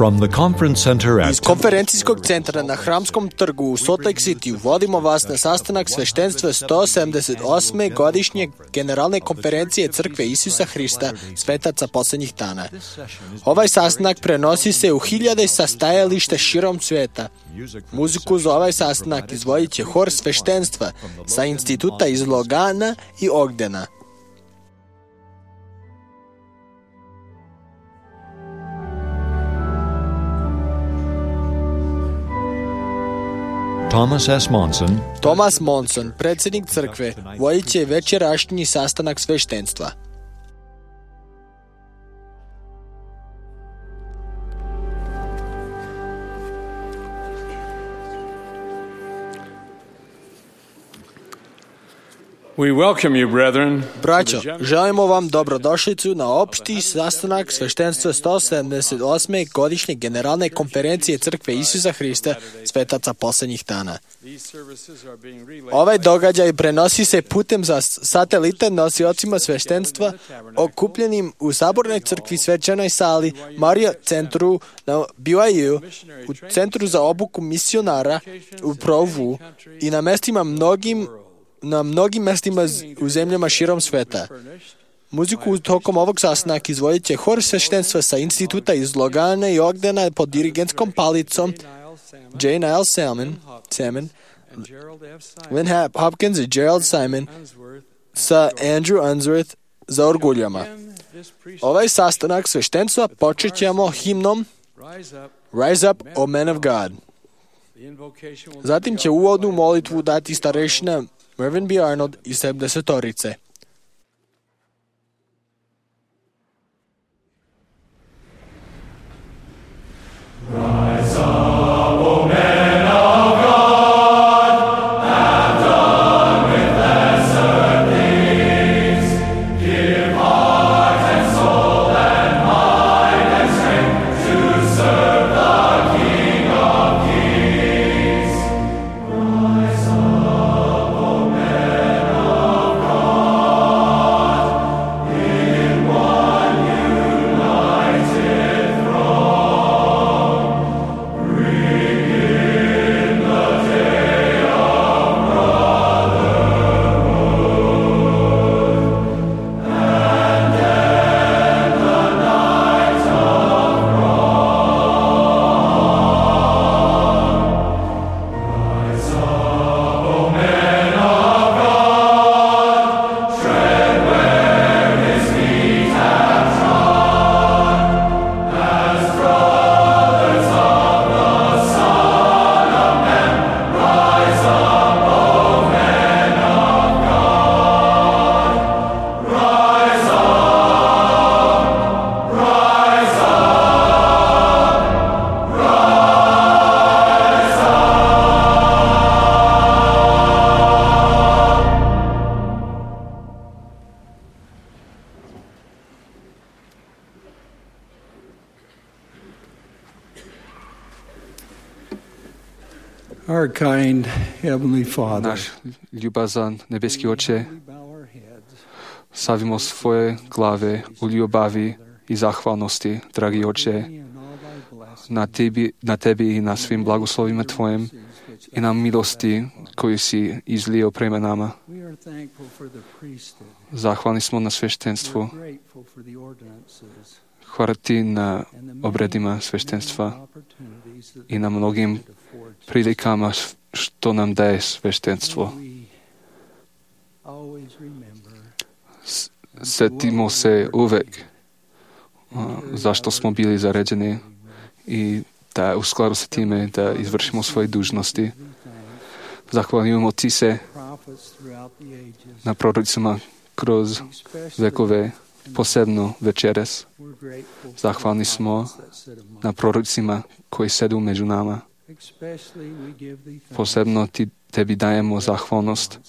From the conference center Iz konferencijskog centra na Hramskom trgu u Salt Lake City vodimo vas na sastanak sveštenstva 178. godišnje generalne konferencije Crkve Isusa Hrista, svetaca poslednjih dana. Ovaj sastanak prenosi se u hiljade sastajališta širom sveta. Muziku za ovaj sastanak izvodit će hor sveštenstva sa instituta iz Logana i Ogdena. Thomas Monson, predsjednik crkve, vodit će večerašnji sastanak sveštenstva. We welcome you, brethren. Braćo, želimo vam dobrodošlicu na opšti sastanak sveštenstva 178. godišnje generalne konferencije Crkve Isusa Hrista, svetaca poslednjih dana. Ovaj događaj prenosi se putem za satelita nosiocima sveštenstva okupljenim u Sabornoj crkvi svečanoj sali Marriott centru na BYU, u centru za obuku misionara u Provu i na mnogim mestima u zemljama širom sveta. Muziku tokom ovog sastanaka izvodit će hor sveštenstva sa instituta iz Logana i Ogdena pod dirigentskom palicom J. Niall Salmon, Lynn Hopkins i Gerald Simon sa Andrew Unsworth za orguljama. Ovaj sastanak sveštenstva počet ćemo himnom Rise Up, O Men of God. Zatim će uvodnu molitvu dati starešina Mervyn B. Arnold iz 70-torice. Rise up, O men of God, have done with lesser things. Give heart and soul and mind and strength to serve the King of Kings. Rise up, O men of God, in one united throng. Bring in the day of brotherhood, and end the night of wrong. Rise up, O men of God, tread where His feet have trod, as brothers of the Son of Man. Rise up, O men of God. Rise up, rise up, rise up. Our kind Heavenly Father, Náš ljubazan nebeski Oče, we bow our heads stavimo svoje glave u ljubavi i zahvalnosti, dragi Oče, in all thy blessings na Tebi i na svim blagoslovima Tvojim i na milosti koju si izlio prema nama. We are thankful for the priesthood. Zahvalni smo na sveštenstvu. We're grateful for the ordinances Hvala Ti na and the many obredima sveštenstva opportunities that i na mnogim prilikama što nam daje sveštenstvo. we always remember Setimo se uvek zašto smo bili zaređeni i da u skladu sa time da izvršimo svoje dužnosti. Zahvaljujemo Ti se prophets throughout the ages. na prorocima kroz vekove, posebno večeras. We're grateful for Zahvalni the smo prophets that sit among na prorocima koji sedu među nama. Especially we give thee thanks. Posebno Tebi dajemo zahvalnost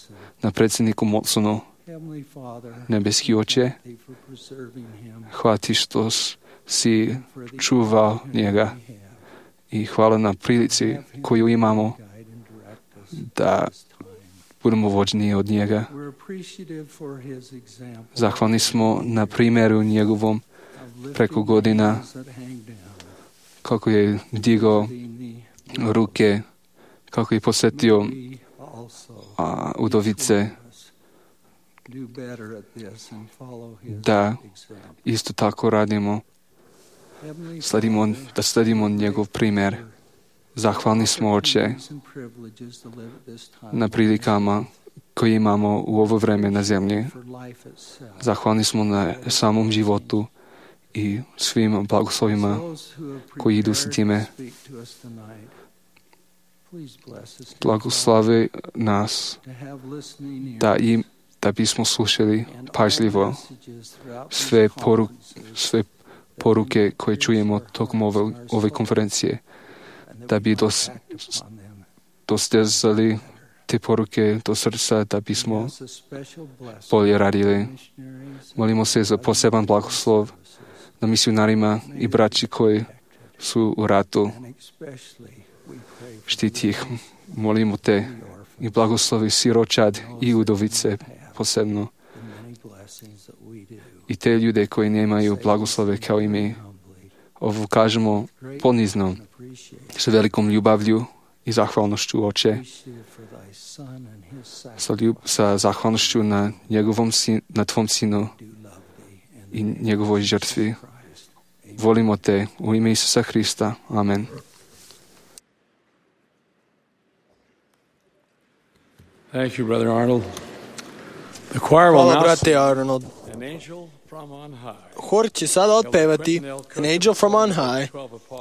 na predsjedniku Monsonu. Heavenly Father, Nebeski Oče, thank thee for preserving him hvala Ti što si čuvao njega i hvala na prilici koju imamo da budemo vođeni od njega. Zahvalni smo na primjeru njegovom preko godina kako je digao ruke, kako je posjetio udovice, da isto tako radimo, da sledimo njegov primjer. Zahvalni smo, Oče, na prilikama koje imamo u ovo vreme na zemlji. Zahvalni smo na samom životu i svim blagoslovima koji idu s time. Blagoslavi nas da bismo slušali pažljivo sve poruke koje čujemo tokom ove konferencije, da bi dostezali te poruke do srca, da bismo bolje radili. Molimo se za poseban blagoslov na misionarima i braći koji su u ratu. Štiti ih. Molimo te i blagoslovi siročad i udovice posebno. I te ljude koji nemaju blagoslove kao i mi. Ovo kažemo ponizno, sa velikom ljubavlju i zahvalnošću, Oče, sa zahvalnošću na Tvom Sinu i njegovoj žrtvi. Volimo te u ime Isusa Hrista. Amen. Thank you, Brother Arnold. The choir will Hvala, now brate Arnold. An Angel from on High. Hor će sada otpevati An Angel from on High.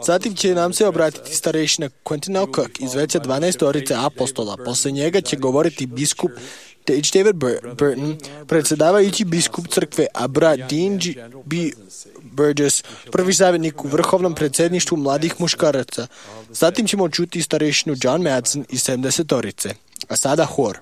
Zatim će nam se obratiti starešina Quentin L. Cook iz veća 12 apostola. Posle njega će govoriti biskup H. David Burton, predsjedavajući biskup crkve, a brat Dean B. Burgess, prvi savjetnik u vrhovnom predsjedništvu mladih muškaraca. Zatim ćemo čuti starešinu John Madsen iz 70. A sada hor.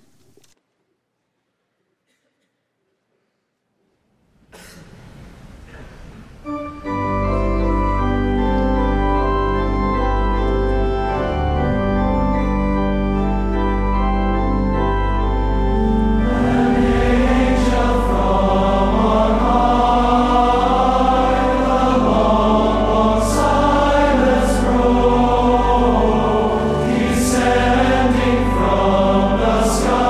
Descending from the sky.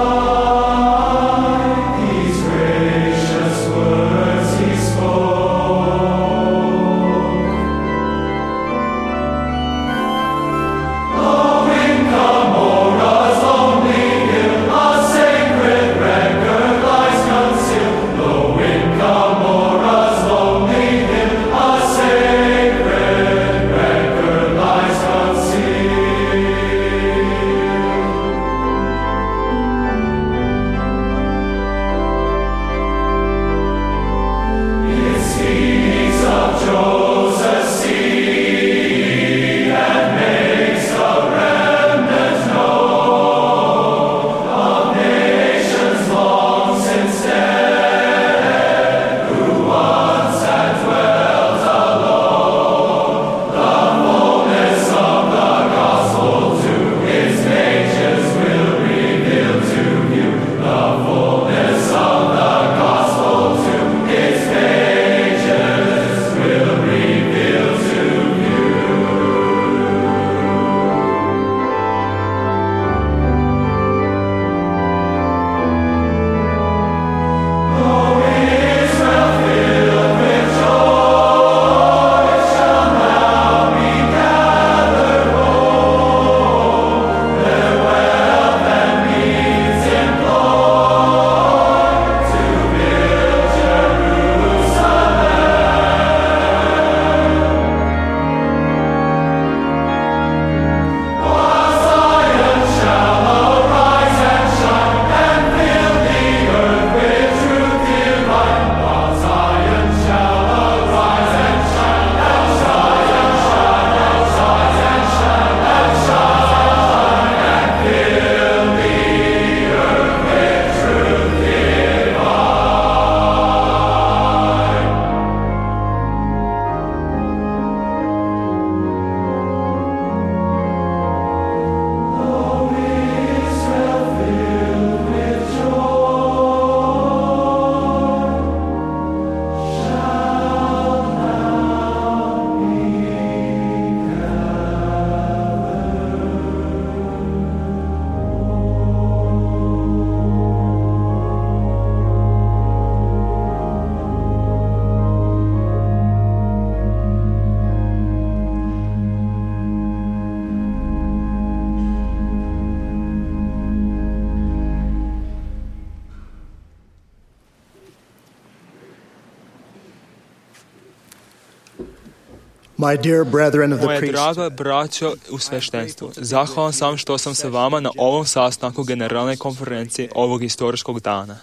My dear brethren of the Moje draga priesthood, braćo u sveštenstvu, zahvalan sam što sam sa vama na ovom sastanku generalne konferencije ovog historijskog dana.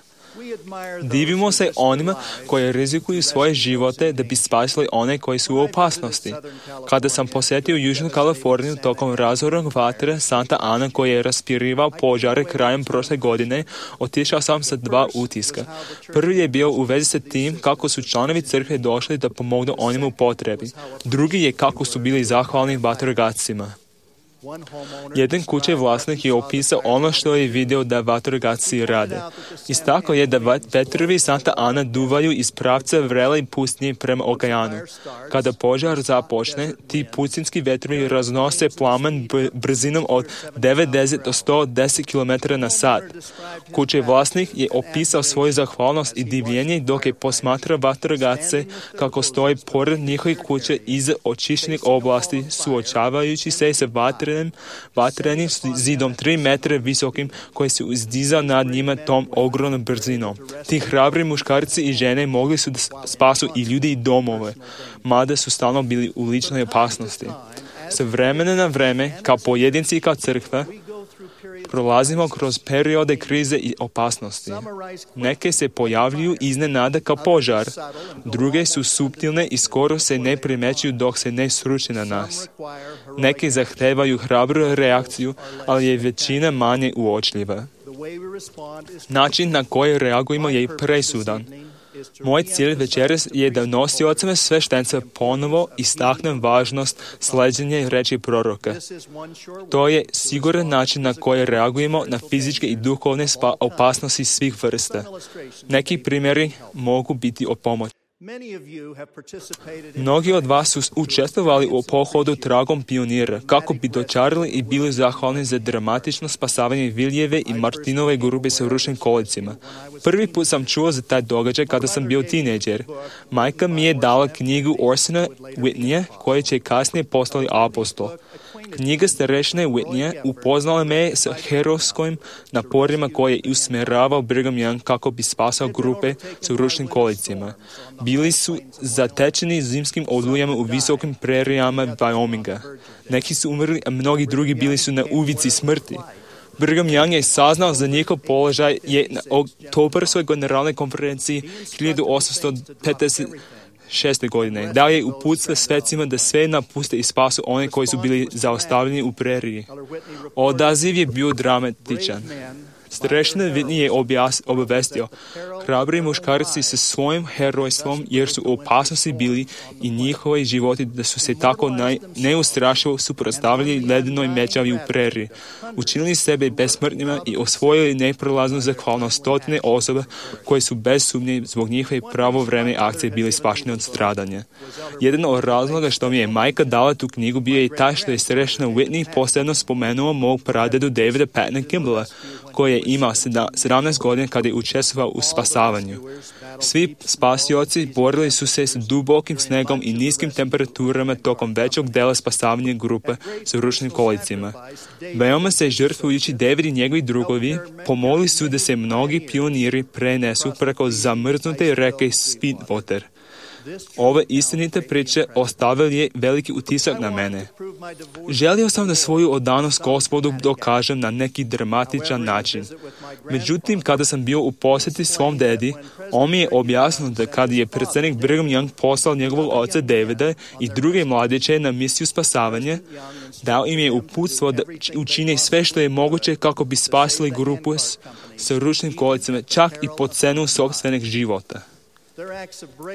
Divimo se onima koji rizikuju svoje živote da bi spasili one koji su u opasnosti. Kada sam posjetio Južnu Kaliforniju tokom razornog vatre Santa Ana koji je raspirivao požare krajem prošle godine, otišao sam sa 2 utiska. Prvi je bio u vezi sa tim kako su članovi crkve došli da pomognu onima u potrebi. Drugi je kako su bili zahvalni vatrogascima. Jedan kućni vlasnik je opisao ono što je vidio da vatrogasci rade. Istakao je da vetrovi Santa Ana duvaju iz pravca vrele pustnje prema okeanu. Kada požar započne, ti pustinski vetrovi raznose plamen brzinom od 90 do 110 km na sat. Kućni vlasnik je opisao svoju zahvalnost i divljenje dok je posmatrao vatrogasce kako stoji pored njihovih kuće iza očišćenih oblasti, suočavajući se sa vatrenim zidom 3 metra visokim koji se uzdizao nad njima tom ogromnom brzinom. Ti hrabri muškarci i žene mogli su da spasu i ljudi i domove, mada su stalno bili u ličnoj opasnosti. Sa vremena na vreme, kao pojedinci i kao crkva, prolazimo kroz periode krize i opasnosti. Neke se pojavljuju iznenada kao požar, druge su suptilne i skoro se ne primećuju dok se ne sruče na nas. Neke zahtevaju hrabru reakciju, ali je većina manje uočljiva. Način na koji reagujemo je presudan. Moj cilj večeras je da nosiocima sveštenstva ponovo istaknem važnost sleđenja reči proroka. To je siguran način na koji reagujemo na fizičke i duhovne opasnosti svih vrsta. Neki primjeri mogu biti od pomoći. Mnogi od vas su učestvovali u pohodu tragom pionira, kako bi dočarali i bili zahvalni za dramatično spasavanje Viljeve i Martinove grupe sa ručnim kolicima. Prvi put sam čuo za taj događaj kada sam bio tinejdžer. Majka mi je dala knjigu Orsona Whitneya, koja će kasnije postati apostol. Knjiga starešine Whitneya upoznala me sa herojskim naporima koje je usmjeravao Brigham Young kako bi spasao grupe sa ručnim kolicima. Bili su zatečeni zimskim olujama u visokim prerijama Wyominga. Neki su umrli, a mnogi drugi bili su na uvici smrti. Brigham Young je saznao za njihov položaj je na oktobarskoj generalnoj konferenciji 1856. godine. Dao je uputstva svecima da sve napuste i spasu one koji su bili zaustavljeni u preriji. Odaziv je bio dramatičan. Starešina Whitney je obavestio, hrabri muškarci sa svojim herojstvom jer su u opasnosti bili i njihovi životi da su se tako neustrašivo suprotstavili ledenoj mećavi u preriji, učinili sebe besmrtnima i osvojili neprolaznu zahvalnost stotine osoba koje su bez sumnje zbog njihove pravovremene akcije bili spašeni od stradanja. Jedan od razloga što mi je majka dala tu knjigu bio je taj što je starešina Whitney posebno spomenuo mog pradedu Davida Pattona Kimballa, koji je imao 17 godina kada je učestvovao u spasavanju. Svi spasioci borili su se s dubokim snegom i niskim temperaturama tokom većeg dela spasavanja grupe sa ručnim kolicima. Veoma se žrtvujući David i njegovi drugovi, pomogli su da se mnogi pioniri prenesu preko zamrznute reke Sweetwater. Ova istinita priča ostavila je veliki utisak na mene. Želio sam da svoju odanost Gospodu dokažem na neki dramatičan način. Međutim, kada sam bio u posjeti svom dedi, on mi je objasnio da kada je predsjednik Brigham Young poslao njegovog oca Davida i druge mladiće na misiju spasavanja, dao im je uputstvo da učine sve što je moguće kako bi spasili grupu sa ručnim kolicama, čak i po cenu sopstvenih života.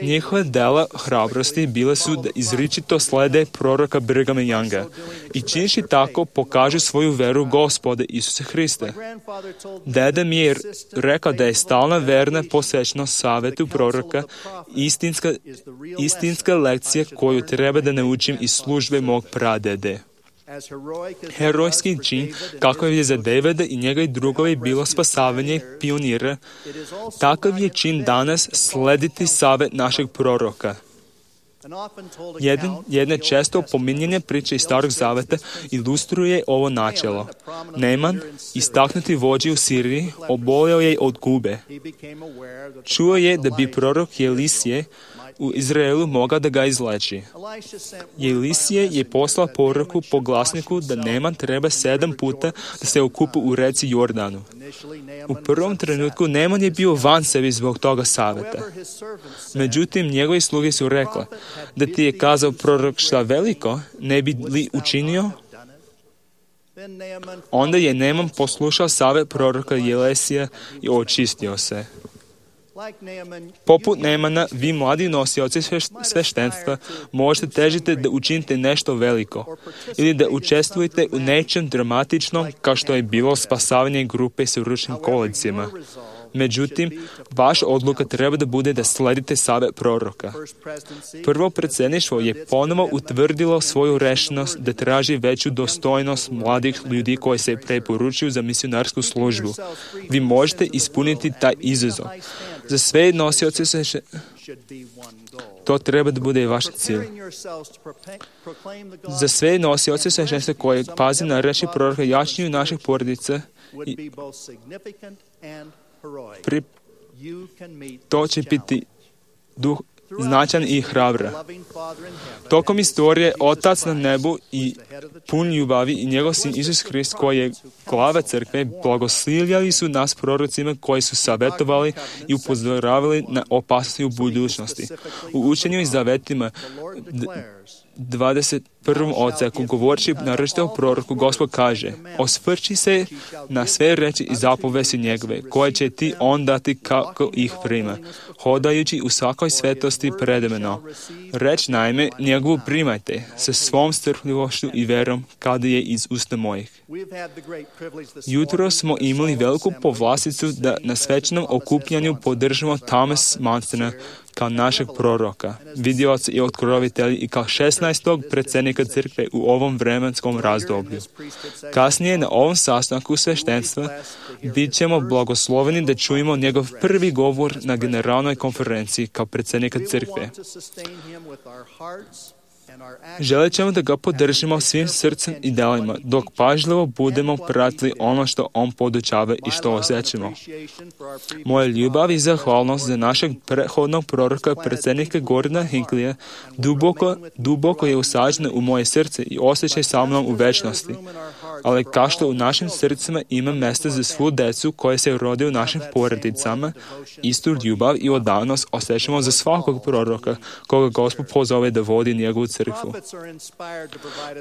Njihova dela hrabrosti bile su da izričito slede proroka Brighama Younga i činjeći tako pokažu svoju veru Gospoda Isusa Hrista. Deda mi je rekao da je stalna verna posvećenost savjetu proroka istinska lekcija koju treba da naučim iz službe mog pradede. Herojski čin, kako je za Davida i njegovi drugovi bilo spasavanje pionira, takav je čin danas slediti savjet našeg proroka. Jedna često pominjena priča iz Starog zaveta ilustruje ovo načelo. Neman, istaknuti vođa u Siriji, obolio je od gube. Čuo je da bi prorok Elisije u Izraelu mogao da ga izleči. Elisije je poslao poruku po glasniku da Neman treba 7 puta da se okupa u reci Jordanu. U prvom trenutku Neman je bio van sebi zbog toga saveta. Međutim, njegovi sluge su rekla, da ti je kazao prorok šta veliko, ne bi li učinio? Onda je Neman poslušao savjet proroka Elisija i očistio se. Poput Nemana, vi mladi nosioci sveštenstva možete težiti da učinite nešto veliko ili da učestvujete u nečem dramatičnom kao što je bilo spasavanje grupe sa ručnim kolicima. Međutim, vaša odluka treba da bude da sledite savjet proroka. Prvo predsjedništvo je ponovo utvrdilo svoju rešenost da traži veću dostojnost mladih ljudi koji se preporučuju za misionarsku službu. Vi možete ispuniti taj izazov. Za sve nosioce to treba da bude vaš cilj. Za sve nosioce sveštenstva koji pazi na reči proroka jačanju naših porodica to će biti značajan i hrabra. Tokom istorije, Otac na nebu i pun ljubavi i njegov sin Isus Hrist, koji je glava crkve, blagoslovljali su nas prorocima koji su savjetovali i upozoravali na opasnosti u budućnosti. U učenju i zavetima 21. odseku, govoreći naročito o proroku, Gospod kaže: osvrći se na sve reči i zapovesti njegove, koje će ti on dati kako ih prima, hodajući u svakoj svetosti predemeno. Reč naime njegovu primajte sa svom strpljivošću i verom kada je iz usta mojih. Jutro smo imali veliku povlasticu da na svečanom okupljanju podržimo Thomas Mansona kao našeg proroka, vidioca i otkrovitelja i kao 16. predsjednika crkve u ovom vremenskom razdoblju. Kasnije na ovom sastanku sveštenstva bit ćemo blagosloveni da čujemo njegov prvi govor na generalnoj konferenciji kao predsjednika crkve. Želit ćemo da ga podržimo svim srcem i delima, dok pažljivo budemo pratili ono što on podučava i što osjećamo. Moja ljubav i zahvalnost za našeg prethodnog proroka, predsjednika Gordona Hinklija, duboko je usađena u moje srce i osjećaj sa mnom u večnosti. Ali kao što u našim srcima ima mjesta za svu decu koje se rode u našim porodicama, istu ljubav i odanost osjećamo za svakog proroka koga Gospod pozove da vodi njegovu crkvu.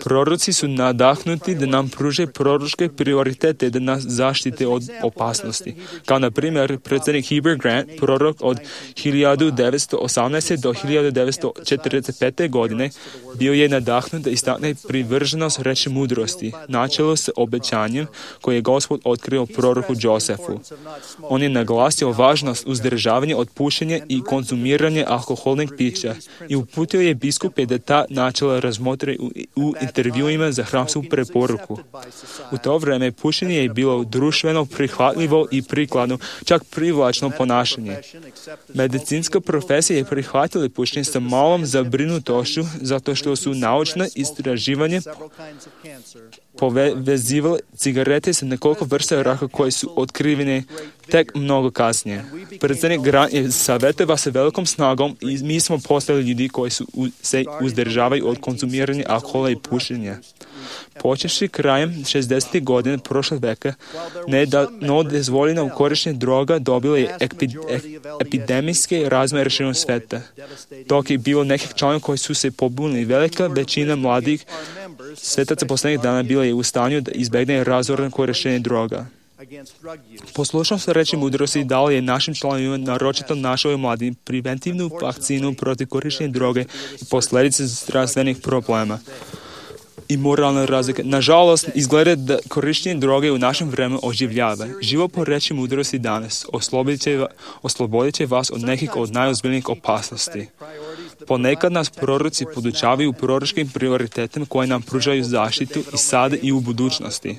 Proroci su nadahnuti da nam pruže proročke prioritete da nas zaštite od opasnosti. Kao na primjer, predsjednik Heber Grant, prorok od 1918. do 1945. godine, bio je nadahnut da istakne privrženost reči mudrosti, načelo s obećanjem koje je Gospod otkrio proroku Josefu. On je naglasio važnost uzdržavanja od pušenja i konzumiranja alkoholnih pića i uputio je biskupe da ta načela razmotre u intervjuima za hramsku preporuku. U to vreme pušenje je bilo društveno prihvatljivo i prikladno, čak privlačno ponašanje. Medicinska profesija je prihvatila pušenje sa malom zabrinutošću zato što su naučna istraživanja povezivali cigarete sa nekoliko vrsta raka koje su otkrivene tek mnogo kasnije. Predsjednik Grant je savjetovao sa velikom snagom i mi smo postali ljudi koji se uzdržavaju od konzumiranja alkohola i pušenja. Počevši krajem 60. godine prošlog veka, nedozvoljeno korištenje droga dobilo je epidemijske razmjere širom sveta. Dok je bilo nekih članova koji su se pobunili, velika većina mladih svetaca posljednjih dana bila je u stanju da izbegne razorno korištenje droga. Poslušnost reči mudrosti dala je našim članovima, naročito našoj mladim, preventivnu vakcinu protiv korištenja droge i posljedice zdravstvenih problema i moralne razlike. Nažalost, izgleda da korištenje droge u našem vremenu oživljava. Život po reči mudrosti danas oslobodit će vas od nekih od najozbiljnijih opasnosti. Ponekad nas proroci podučavaju proročkim prioritetima koje nam pružaju zaštitu i sada i u budućnosti.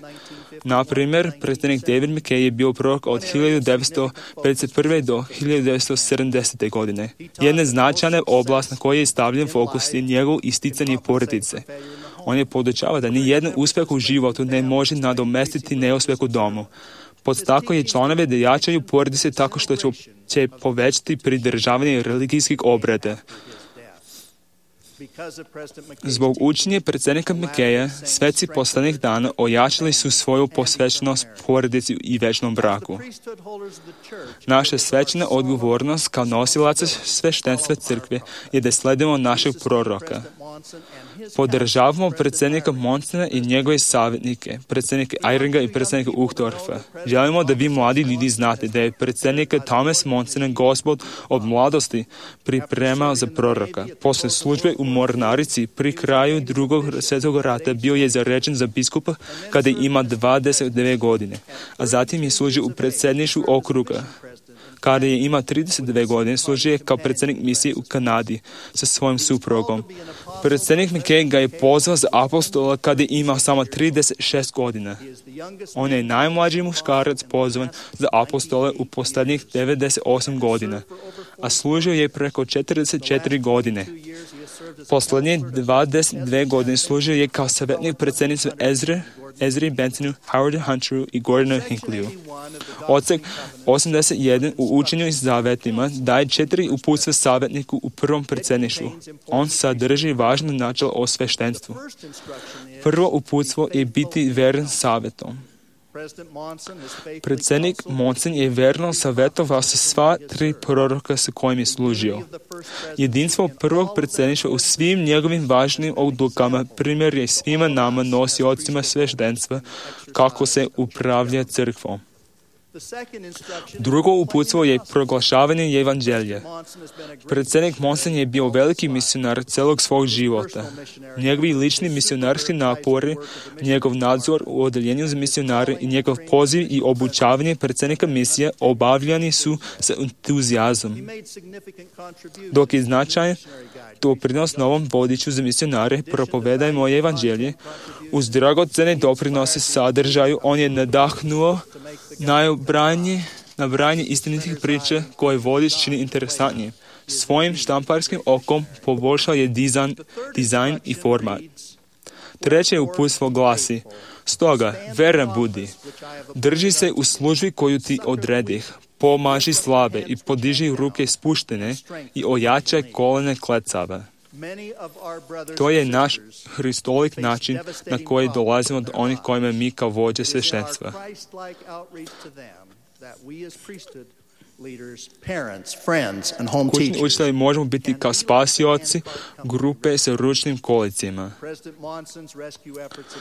Na primjer, predsjednik David McKay je bio prorok od 1951. do 1970. godine. Jedna značajna oblast na kojoj je stavljen fokus je njegov isticanje porodice. On je podučavao da ni jedan uspjeh u životu ne može nadomestiti neuspjeh u domu. Podstakao je članove da jačaju porodice tako što će povećati pridržavanje religijskih obreda. Zbog učenja predsjednika McKeya, sveci poslednjih dana ojačali su svoju posvećenost porodici i večnom braku. Naša svečana odgovornost kao nosilaca sveštenstva crkve je da sledimo našeg proroka. Podržavamo predsjednika Monsona i njegove savjetnike, predsjednika Eyringa i predsjednika Uchtdorfa. Želimo da vi mladi ljudi znate da je predsjednika Thomas Monsona Gospod od mladosti pripremao za proroka. Posle službe u mornarici pri kraju Drugog svjetskog rata bio je zaređen za biskupa kada ima 29 godine, a zatim je služio u predsjedništvu okruga. Kada je imao 32 godine, služio je kao predsjednik misije u Kanadi sa svojim suprugom. Predsjednik McKay ga je pozvao za apostola kada je imao samo 36 godina. On je najmlađi muškarac pozvan za apostola u posljednjih 98 godina, a služio je preko 44 godine. Posljednje 22 godine služio je kao savjetnik predsjedništva Ezri Bentonu, Howardu Hunteru i Gordonu Hinckleyju. Odsek 81 u učenju i zavetima daje 4 uputstva savjetniku u prvom predsjedništvu. On sadrži važno načelo o sveštenstvu. Prvo uputstvo je biti veren savjetom. Predsjednik Monson je verno savjetovao sa sva 3 proroka sa kojim je služio. Jedinstvo prvog predsjedništva u svim njegovim važnim odlukama primjer je svima nama nosiocima sveštenstva kako se upravlja crkvom. Drugo uputstvo je proglašavanje evanđelja. Predsjednik Monson je bio veliki misionar celog svog života. Njegovi lični misionarski napori, njegov nadzor u odeljenju za misionare i njegov poziv i obučavanje predsjednika misije obavljani su sa entuzijazmom. Dok je značajan doprinos novom vodiču za misionare propovedajmo evanđelje, uz dragocene doprinose sadržaju on je nadahnuo nabrajanje istinitih priča koje vodič čini interesantnije. Svojim štamparskim okom poboljšao je dizajn i format. Treće uputstvo glasi: stoga, veran budi. Drži se u službi koju ti odredih. Pomaži slabe i podiži ruke spuštene i ojačaj kolene klecave. To je naš hristolik način na koji dolazimo do onih kojima mi kao vođe sveštenstva. Kućni učitelji možemo biti kao spasioci grupe sa ručnim kolicima.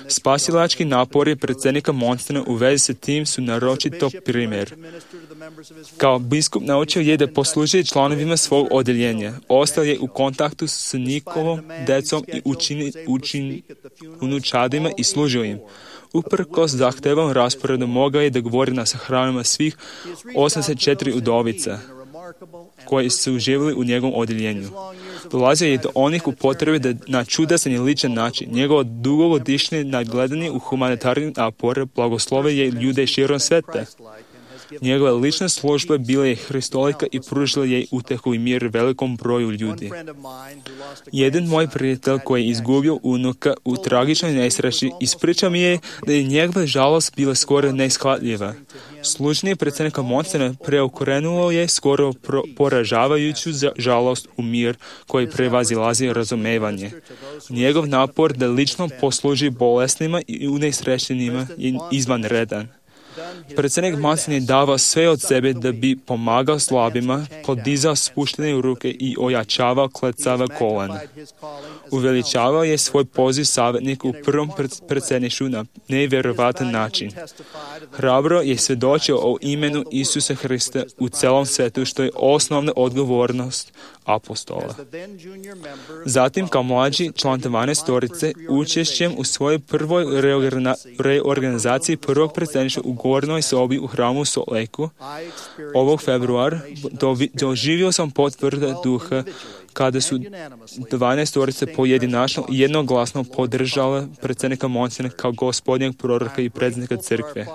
Spasilački napori predsjednika Monsona u vezi sa tim su naročito primjer. Kao biskup naučio je da posluži članovima svog odeljenja. Ostao je u kontaktu s njihovom decom i unučadima i služio im. Uprkos zahtevom rasporedu mogao je da govori na sahranama svih 84 udovica koji su živjeli u njegovom odjeljenju. Dolazio je do onih u potrebi da na čudasan i ličan način. Njegovo dugogodišnje nadgledanje u humanitarnim napore blagoslove je ljude širom sveta. Njegova lična služba bila je hristolika i pružila je utehu i mir velikom broju ljudi. Jedan moj prijatelj koji je izgubio unuka u tragičnoj nesreći ispričao mi je da je njegova žalost bila skoro neishvatljiva. Služenje predsjednika Monsona preokrenulo je skoro poražavajuću žalost u mir koji prevazilazi razumevanje. Njegov napor da lično posluži bolesnima i unesrećenima je izvanredan. Predsjednik Monson je davao sve od sebe da bi pomagao slabima, podizao spuštene ruke i ojačavao klecava kolena. Uveličavao je svoj poziv savjetniku u prvom predsjedništvu na nevjerovatan način. Hrabro je svjedočio o imenu Isusa Hrista u celom svetu, što je osnovna odgovornost apostola. Zatim, kao mlađi član 12-torice, učešćem u svojoj prvoj reorganizaciji prvog predsjedništva u gornjoj sobi u hramu u Salt Lakeu, ovog februara, doživio sam potvrda duha kada su 12-torice pojedinačno i jednoglasno podržale predsjednika Monsona kao gospodnjeg proroka i predsjednika crkve.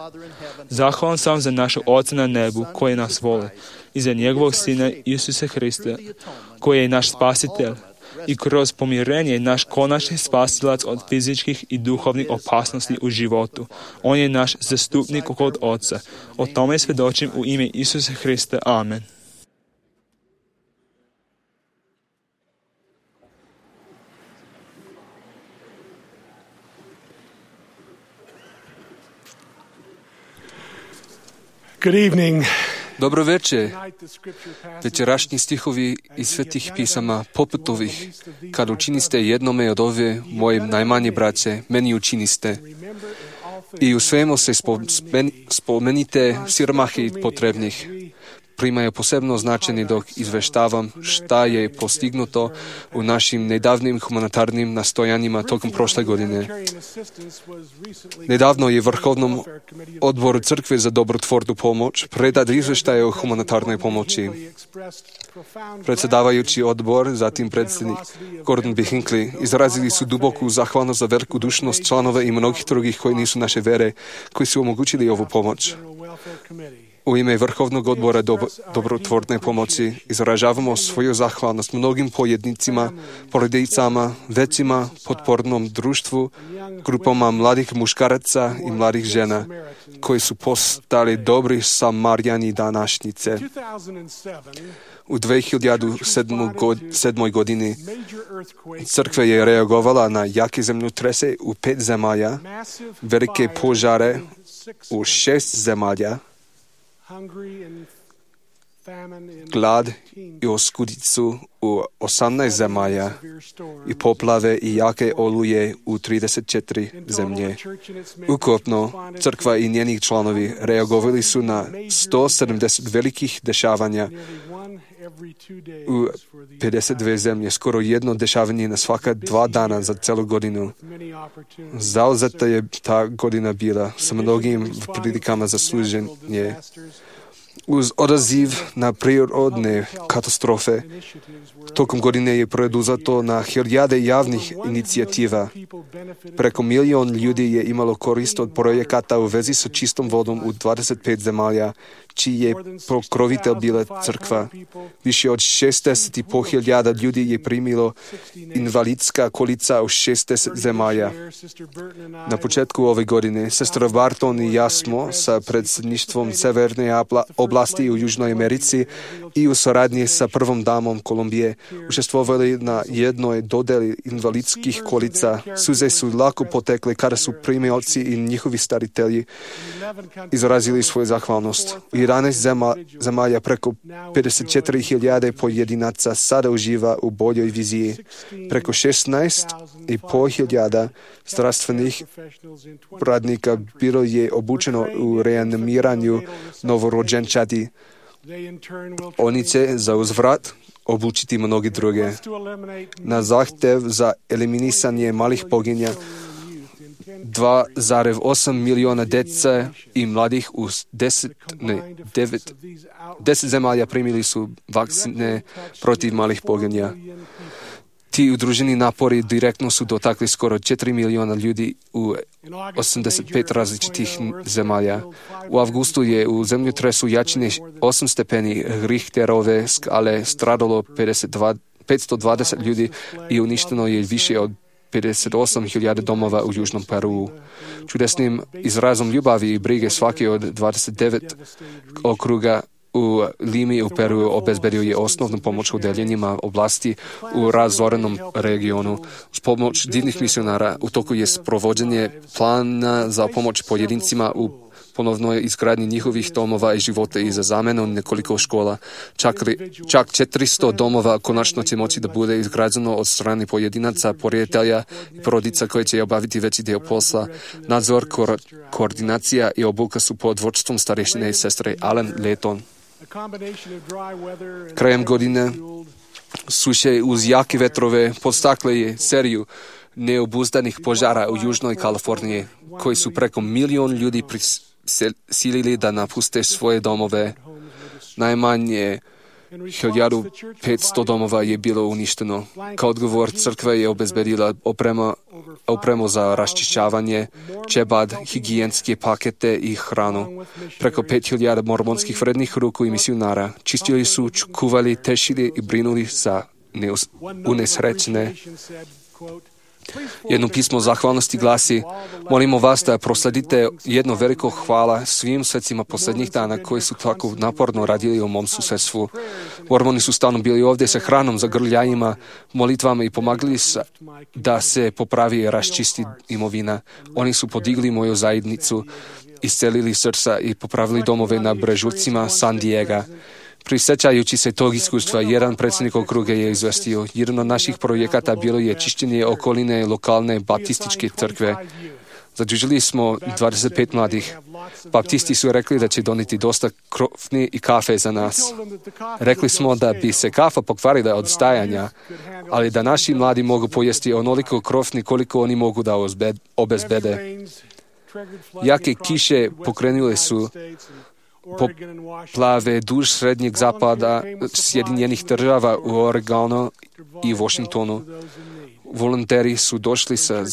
Zahvalan sam za našeg Oca na nebu koji nas voli i za njegovog Sina Isusa Hrista koji je naš spasitelj. i kroz pomirenje naš konačni spasilac od fizičkih i duhovnih opasnosti u životu. On je naš zastupnik kod Oca. O tome svjedočim u ime Isusa Hrista. Amen. Good evening. Dobro večer. Večerašnji stihovi iz svetih pisama poput ovih: kad učiniste jednome od ove moje najmanje braće, meni učiniste. I u svemu se spomenite siromahi potrebnih. Primaju posebno značenje dok izveštavam šta je postignuto u našim nedavnim humanitarnim nastojanjima tokom prošle godine. Nedavno je Vrhovnom odboru Crkve za dobrotvornu pomoć predat izveštaj o humanitarnoj pomoći. Predsjedavajući odbor, zatim predsjednik Gordon B. Hinckley, izrazili su duboku zahvalnost za veliku dušnost članova i mnogih drugih koji nisu naše vere, koji su omogućili ovu pomoć. U ime Vrhovnog odbora dobrotvorne pomoći izražavamo svoju zahvalnost mnogim pojednicima, porodicama, većima, potpornom društvu, grupama mladih muškaraca i mladih žena, koji su postali dobri Samarijani današnjice. U 2007. godini crkva je reagovala na jake zemljotrese u 5 zemalja, velike požare u 6 zemalja, glad i oskudicu u 18 zemalja i poplave i jake oluje u 34 zemlje. Ukupno, crkva i njeni članovi reagovali su na 170 velikih dešavanja u 52 zemlje, skoro jedno dešavanje na svaka 2 dana za celu godinu. Zauzeta je ta godina bila sa mnogim prilikama za služenje. Uz odaziv na prirodne katastrofe, tokom godine je preduzeto na hiljade javnih inicijativa. Preko 1 milion ljudi je imalo korist od projekata u vezi sa čistom vodom u 25 zemalja, čiji je pokrovitelj bila crkva. Više od 60.500 ljudi je primilo invalidska kolica u 60 zemalja. Na početku ove godine, sestra Barton i ja smo sa predsjedništvom Severne oblasti u Južnoj Americi i u suradnji sa prvom damom Kolumbije učestvovali na jednoj dodeli invalidskih kolica. Suze su lako potekle kada su primioci i njihovi staritelji izrazili svoju zahvalnost. U 11 zemalja preko 54.000 pojedinaca sada uživa u boljoj viziji. Preko 16.500 zdravstvenih radnika bilo je obučeno u reanimiranju novorođenčadi. Oni će za uzvrat obučiti mnogi druge. Na zahtjev za eliminisanje malih poginja 2,8 miliona djece i mladih u 10 zemalja primili su vakcine protiv malih poginja. Ti udruženi napori direktno su dotakli skoro 4 miliona ljudi u 85 različitih zemalja. U avgustu je u zemljotresu jačine 8 stepeni Richterove skale stradalo 520 ljudi i uništeno je više od 58.000 domova u Južnom Peruu. Čudesnim izrazom ljubavi i brige svaki od 29 okruga u Limi u Peru obezbedio je osnovnu pomoć u deljenjima oblasti u razorenom regionu. S pomoć divnih misionara u toku je sprovođenje plana za pomoć pojedincima u ponovnoj izgradnji njihovih domova i života i za zamenu nekoliko škola. Čak 400 domova konačno će moći da bude izgrađeno od strane pojedinaca, prijatelja i porodica koji će obaviti veći dio posla. Nadzor, koordinacija i obuka su pod vodstvom starešine i sestre Allen Layton. Krajem godine suše uz jake vetrove podstakle je seriju neobuzdanih požara u Južnoj Kaliforniji, koji su preko 1 milion ljudi silili da napuste svoje domove. Najmanje 1500 domova je bilo uništeno. Kao odgovor crkva je obezbedila opremu za raščišćavanje, čebad, higijenske pakete i hranu. Preko 5000 mormonskih vrednih ruku i misionara čistili su, kuvali, tešili i brinuli za unesrećene. Jedno pismo zahvalnosti glasi: molimo vas da prosledite jedno veliko hvala svim svecima posljednjih dana koji su tako naporno radili u mom susjedstvu. Mormoni su stalno bili ovdje sa hranom za grljajima, molitvama i pomagali da se popravi i raščisti imovina. Oni su podigli moju zajednicu, iscelili srca i popravili domove na brežucima San Diego. Prisjećajući se tog iskustva, jedan predsjednik okruga je izvestio: jedan od naših projekata bilo je čišćenje okoline lokalne baptističke crkve. Zadužili smo 25 mladih. Baptisti su rekli da će doniti dosta krofni i kafe za nas. Rekli smo da bi se kafa pokvarila od stajanja, ali da naši mladi mogu pojesti onoliko krofni koliko oni mogu da obezbede. Jake kiše pokrenule su poplave duž srednjeg zapada Sjedinjenih država u Oregonu i Washingtonu. Volonteri su došli sa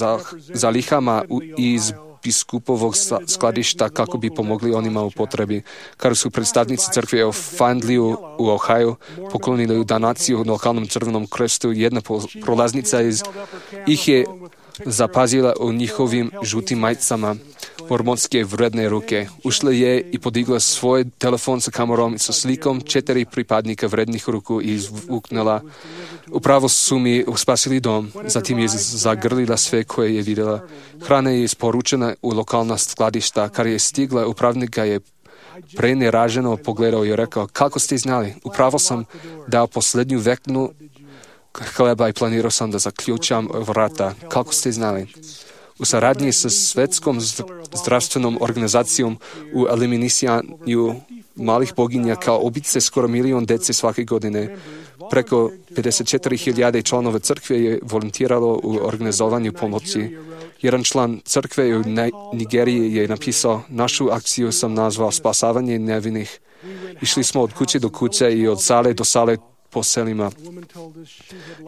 zalihama iz biskupovog skladišta kako bi pomogli onima u potrebi. Kada su predstavnici crkve u Findlayu u Ohio poklonili donaciju lokalnom Crvenom krstu, jedna prolaznica ih je zapazila u njihovim žutim majicama mormonske vredne ruke. Ušla je i podigla svoj telefon sa kamerom sa slikom 4 pripadnika vrednih ruku i izvuknula: upravo su mi spasili dom. Zatim je zagrlila sve koje je vidjela. Hrana je isporučena u lokalna skladišta. Kad je stigla, upravnik ga je preneraženo pogledao i rekao: kako ste znali? Upravo sam dao posljednju veknu hleba i planirao sam da zaključam vrata. Kako ste znali? U saradnji sa Svetskom zdravstvenom organizacijom u eliminisanju malih boginja kao ubice skoro 1 milion dece svake godine. Preko 54.000 članova crkve je volontiralo u organizovanju pomoći. Jedan član crkve u Nigeriji je napisao: našu akciju sam nazvao spasavanje nevinih. Išli smo od kuće do kuće i od sale do sale po selima.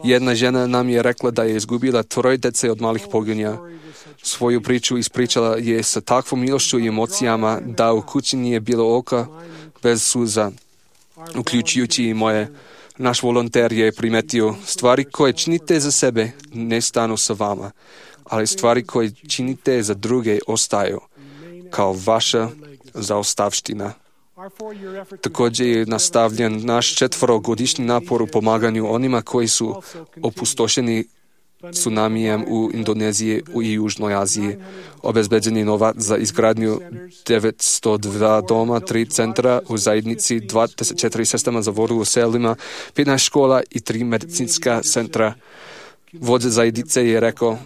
Jedna žena nam je rekla da je izgubila 3 dece od malih poginja. Svoju priču ispričala je sa takvom milošću i emocijama da u kući nije bilo oka bez suza, uključujući i moje. Naš volonter je primetio: stvari koje činite za sebe ne stanu sa vama, ali stvari koje činite za druge ostaju, kao vaša zaostavština. Također je nastavljen naš 4-godišnji napor u pomaganju onima koji su opustošeni tsunamijem u Indoneziji i Južnoj Aziji. Obezbeđen je novac za izgradnju 902 doma, 3 centra u zajednici, 24 sistema za vodu u selima, 15 škola i 3 medicinska centra. Vođa zajednice je rekao: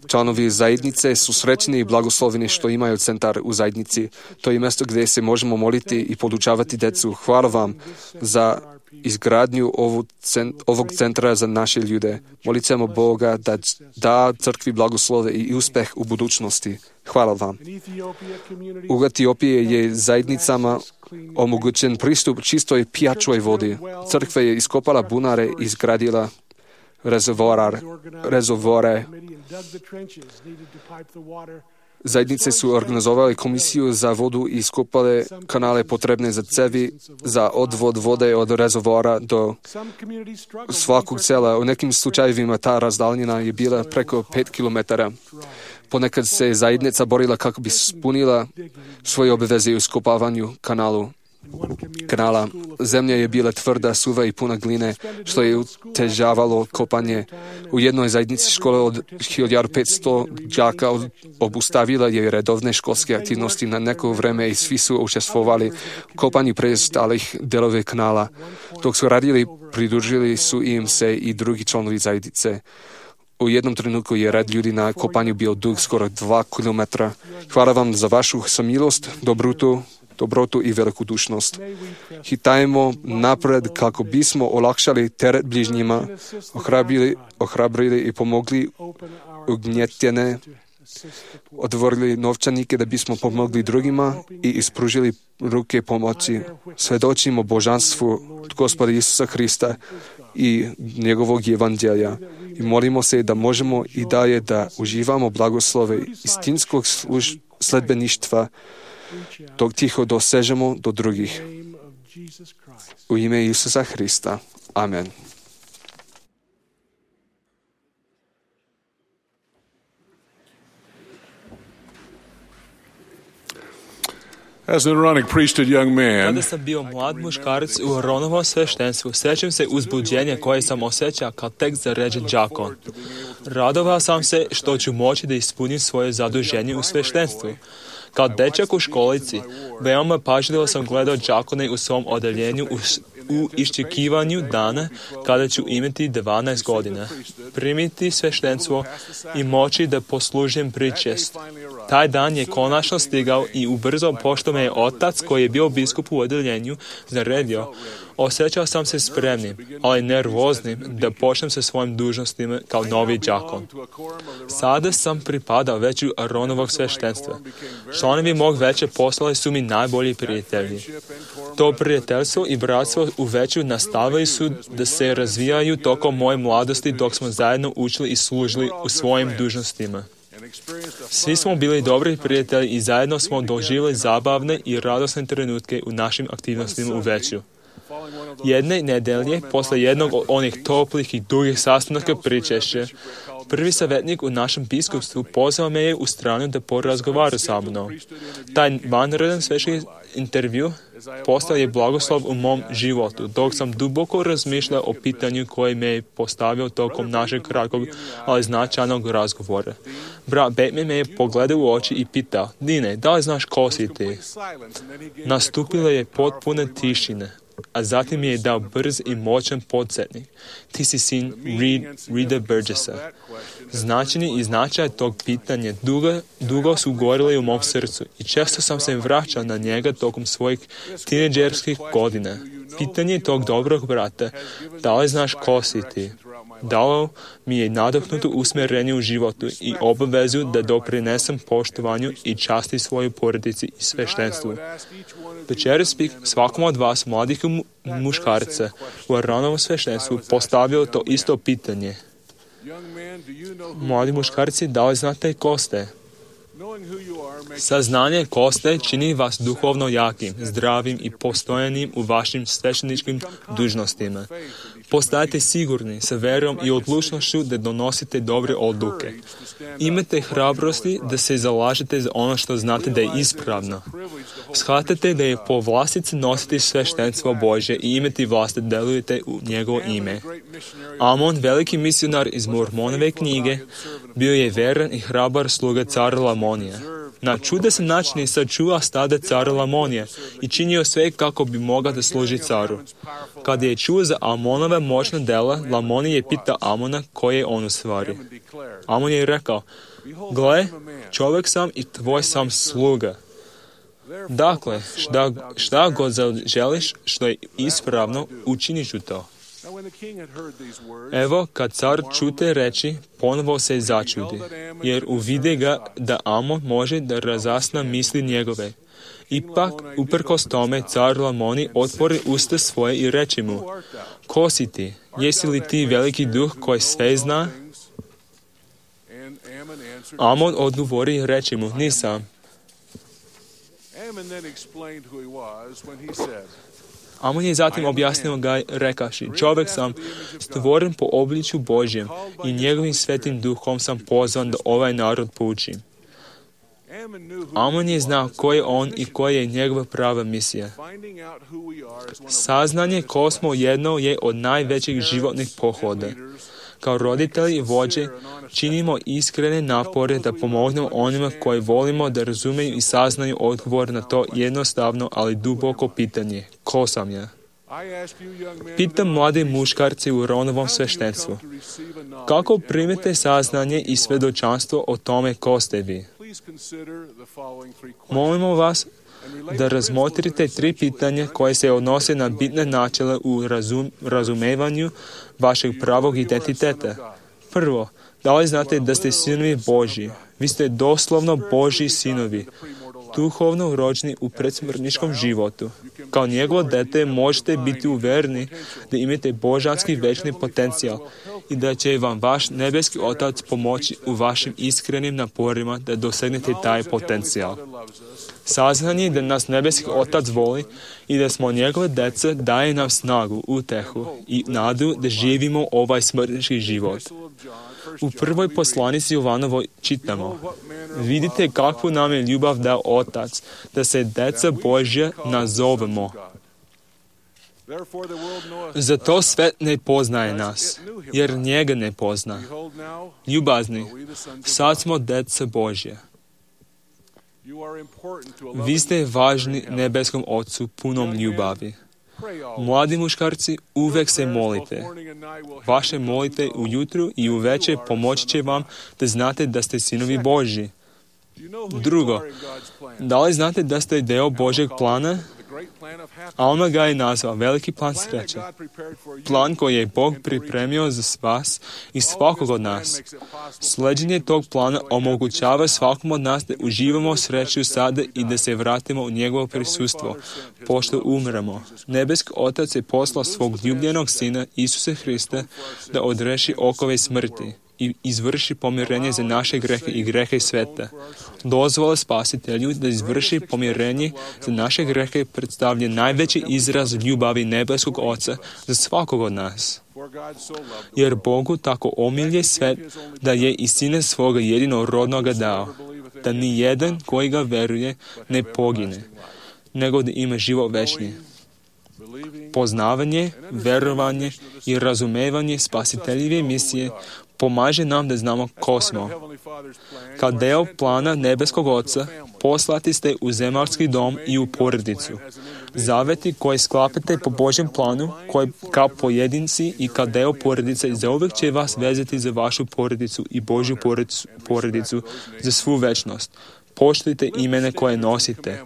članovi zajednice su srećni i blagosloveni što imaju centar u zajednici. To je mjesto gdje se možemo moliti i podučavati decu. Hvala vam za izgradnju ovog centra za naše ljude. Molicamo Boga da da crkvi blagoslove i uspeh u budućnosti. Hvala vam. U Etiopiji je zajednicama omogućen pristup čistoj pijačoj vodi. Crkva je iskopala bunare i izgradila rezervoare. Zajednice su organizovali komisiju za vodu i iskopale kanale potrebne za cevi za odvod vode od rezervoara do svakog sela. U nekim slučajevima ta razdaljina je bila preko 5 km. Ponekad se zajednica borila kako bi spunila svoje obveze u iskopavanju kanala. Zemlja je bila tvrda, suva i puna gline, što je utežavalo kopanje. U jednoj zajednici škole od 1500 đaka obustavila je redovne školske aktivnosti na neko vreme i svi su učestvovali u kopanju preostalih delove kanala. Dok su radili, pridružili su im se i drugi članovi zajednice. U jednom trenutku je red ljudi na kopanju bio dug skoro 2 km. Hvala vam za vašu samilost, dobrotu i velikodušnost. Hitajmo napred kako bismo olakšali teret bližnjima, ohrabrili i pomogli ugnjetene, otvorili novčanike da bismo pomogli drugima i ispružili ruke pomoći. Svedočimo božanstvu Gospoda Isusa Hrista i njegovog evanđelja i molimo se da možemo i dalje da uživamo blagoslove istinskog sledbeništva dok tiho dosežemo do drugih. U ime Isusa Hrista. Amen. As an Aaronic priesthood young man, Kada sam bio mlad muškarac u Aaronovom sveštenstvu, sjećam se uzbuđenja koje sam osjećao kao tek zaređen đakon. Radovao sam se što ću moći da ispunim svoje zaduženje u sveštenstvu. Kao dečak u školici, veoma pažljivo sam gledao đakone u svom odeljenju u iščekivanju dana kada ću imati 12 godina, primiti sveštenstvo i moći da poslužim pričest. Taj dan je konačno stigao i ubrzo, pošto me je otac koji je bio biskup u odeljenju naredio, osjećao sam se spremnim, ali nervoznim da počnem sa svojim dužnostima kao novi đakon. Sada sam pripadao veću Aaronovog sveštenstva. Članovi mog veća postali su mi najbolji prijatelji. To prijateljstvo i bratstvo u veću nastavili su da se razvijaju tokom moje mladosti dok smo zajedno učili i služili u svojim dužnostima. Svi smo bili dobri prijatelji i zajedno smo doživjeli zabavne i radosne trenutke u našim aktivnostima u veću. Jedne nedelje, posle jednog od onih toplih i dugih sastanaka pričešća, prvi savjetnik u našem biskupstvu pozvao me je u stranu da porazgovara sa mnom. Taj vanredan svečani intervju postao je blagoslov u mom životu, dok sam duboko razmišljao o pitanju koje me je postavio tokom našeg kratkog, ali značajnog razgovora. Brat Bateman me je pogledao u oči i pitao: Dine, da li znaš ko si ti? Nastupila je potpuna tišina, a zatim mi je dao brz i moćan podsjetnik. Ti si sin Reda Burgessa. Značenje i značaj tog pitanja dugo su gorili u mom srcu i često sam se vraćao na njega tokom svojih tineđerskih godina. Pitanje tog dobrog brata, da li znaš ko si ti, dalo mi je nadahnuto usmjerenje u životu i obavezu da doprinesem poštovanju i časti svojoj porodici i sveštenstvu. Večeras bih svakom od vas, mladih muškarca u Aaronovom sveštenstvu, postavio to isto pitanje. Mladi muškarci, da li znate ko ste? Saznanje ko ste čini vas duhovno jakim, zdravim i postojanim u vašim svešteničkim dužnostima. Postajete sigurni sa verom i odlučnošću da donosite dobre odluke. Imate hrabrosti da se zalažete za ono što znate da je ispravno. Shvatate da je povlastice nositi sveštenstvo Božje i imati vlast da delujete u njegovo ime. Amon, veliki misionar iz Mormonove knjige, bio je veran i hrabar sluga cara Lamonija. Na čudesan način je sačuvao stada cara Lamonija i činio sve kako bi mogao da služi caru. Kada je čuo za Amonova moćna dela, Lamonij je pitao Amona ko je on u stvari. Amon je rekao: Gle, čovjek sam i tvoj sam sluga. Dakle, šta god želiš što je ispravno, učinit ću to. Evo, kad car čute reči, ponovo se začudi, jer uvide ga da Amon može da razasna misli njegove. Ipak, uprkos tome, car Lamonij otvori usta svoje i reče mu: Ko si ti? Jesi li ti veliki duh koji sve zna? Amon odgovori i reče mu: Nisam. Amon je zatim objasnio ga rekaši: Čovjek sam, stvoren po obličju Božjem i njegovim svetim duhom sam pozvan da ovaj narod poučim. Amon je znao ko je on i koja je njegova prava misija. Saznanje ko smo jedno je od najvećih životnih pohoda. Kao roditelji i vođe činimo iskrene napore da pomognemo onima koji volimo da razumeju i saznaju odgovor na to jednostavno, ali duboko pitanje: ko sam ja? Pitam mlade muškarce u Aaronovom sveštenstvu: kako primite saznanje i svjedočanstvo o tome ko ste vi? Molimo vas da razmotrite 3 pitanja koje se odnose na bitne načela u razumevanju vašeg pravog identiteta. Prvo, da li znate da ste sinovi Božji? Vi ste doslovno Božji sinovi. duhovno rođeni u predsmrtničkom životu. Kao njegovo dete možete biti uvereni da imate božanski večni potencijal i da će vam vaš nebeski Otac pomoći u vašim iskrenim naporima da dosegnete taj potencijal. Saznanje da nas nebeski Otac voli i da smo njegove dece daje nam snagu, utehu i nadu da živimo ovaj smrtnički život. U prvoj poslanici Jovanovoj čitamo: vidite kakvu nam je ljubav dao Otac, da se deca Božja nazovemo. Zato svet ne poznaje nas, jer njega ne pozna. Ljubazni, sad smo deca Božja. Vi ste važni nebeskom Ocu punom ljubavi. Mladi muškarci, uvek se molite. Vaše molite ujutru i uveče pomoći će vam da znate da ste sinovi Božji. Drugo, da li znate da ste deo Božjeg plana? Alma ga je nazvao veliki plan sreće. Plan koji je Bog pripremio za vas i svakog od nas. Sleđenje tog plana omogućava svakom od nas da uživamo sreću sada i da se vratimo u njegovo prisustvo, pošto umremo. Nebeski Otac je poslao svog ljubljenog Sina, Isuse Hrista, da odreši okove smrti i izvrši pomirenje za naše grehe i grehe sveta. Dozvola Spasitelju da izvrši pomirenje za naše grehe predstavlja najveći izraz ljubavi nebeskog Oca za svakog od nas. Jer Bogu tako omilje svet da je i Sina svoga jedinorodnoga dao, da ni jedan koji ga veruje ne pogine, nego da ima život večni. Poznavanje, verovanje i razumevanje Spasiteljeve misije pomaže nam da znamo ko smo. Kao deo plana nebeskog Oca, poslati ste u zemaljski dom i u porodicu. Zaveti koje sklapate po Božjem planu, koji kao pojedinci i kao deo porodice zauvek će vas vezati za vašu porodicu i Božju porodicu za svu večnost. Poštujte imena koje nosite.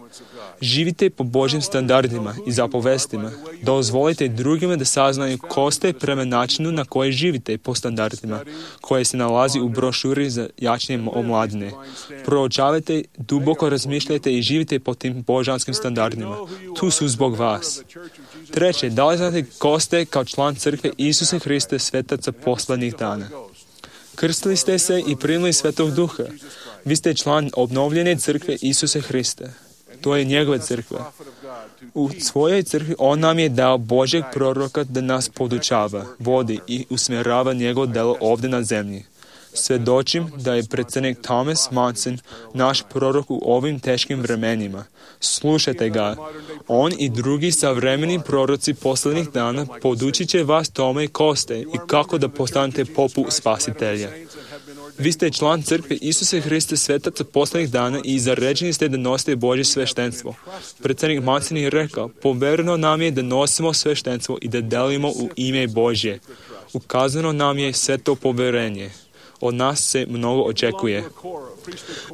Živite po Božjim standardima i zapovestima. Dozvolite drugima da saznaju ko ste prema načinu na koji živite po standardima, koje se nalazi u brošuri za jačanje omladine. Proučavajte, duboko razmišljajte i živite po tim božanskim standardima. Tu su zbog vas. Treće, da li znate ko ste kao član crkve Isuse Hrista svetaca poslednjih dana? Krstili ste se i primili Svetog Duha. Vi ste član obnovljene crkve Isuse Hrista. To je njegova crkva. U svojoj crkvi on nam je dao Božjeg proroka da nas podučava, vodi i usmjerava njegovo delo ovdje na zemlji. Svedočim da je predsjednik Thomas Monson naš prorok u ovim teškim vremenima. Slušajte ga. On i drugi savremeni proroci posljednjih dana podučit će vas tome ko ste i kako da postanete poput Spasitelja. Vi ste član crkve Isuse Hrista svetaca posljednjih dana i zaređeni ste da nosite Božje sveštenstvo. Predsjednik Monson je rekao: povereno nam je da nosimo sveštenstvo i da delimo u ime Božje. Ukazano nam je sve to poverenje. Od nas se mnogo očekuje.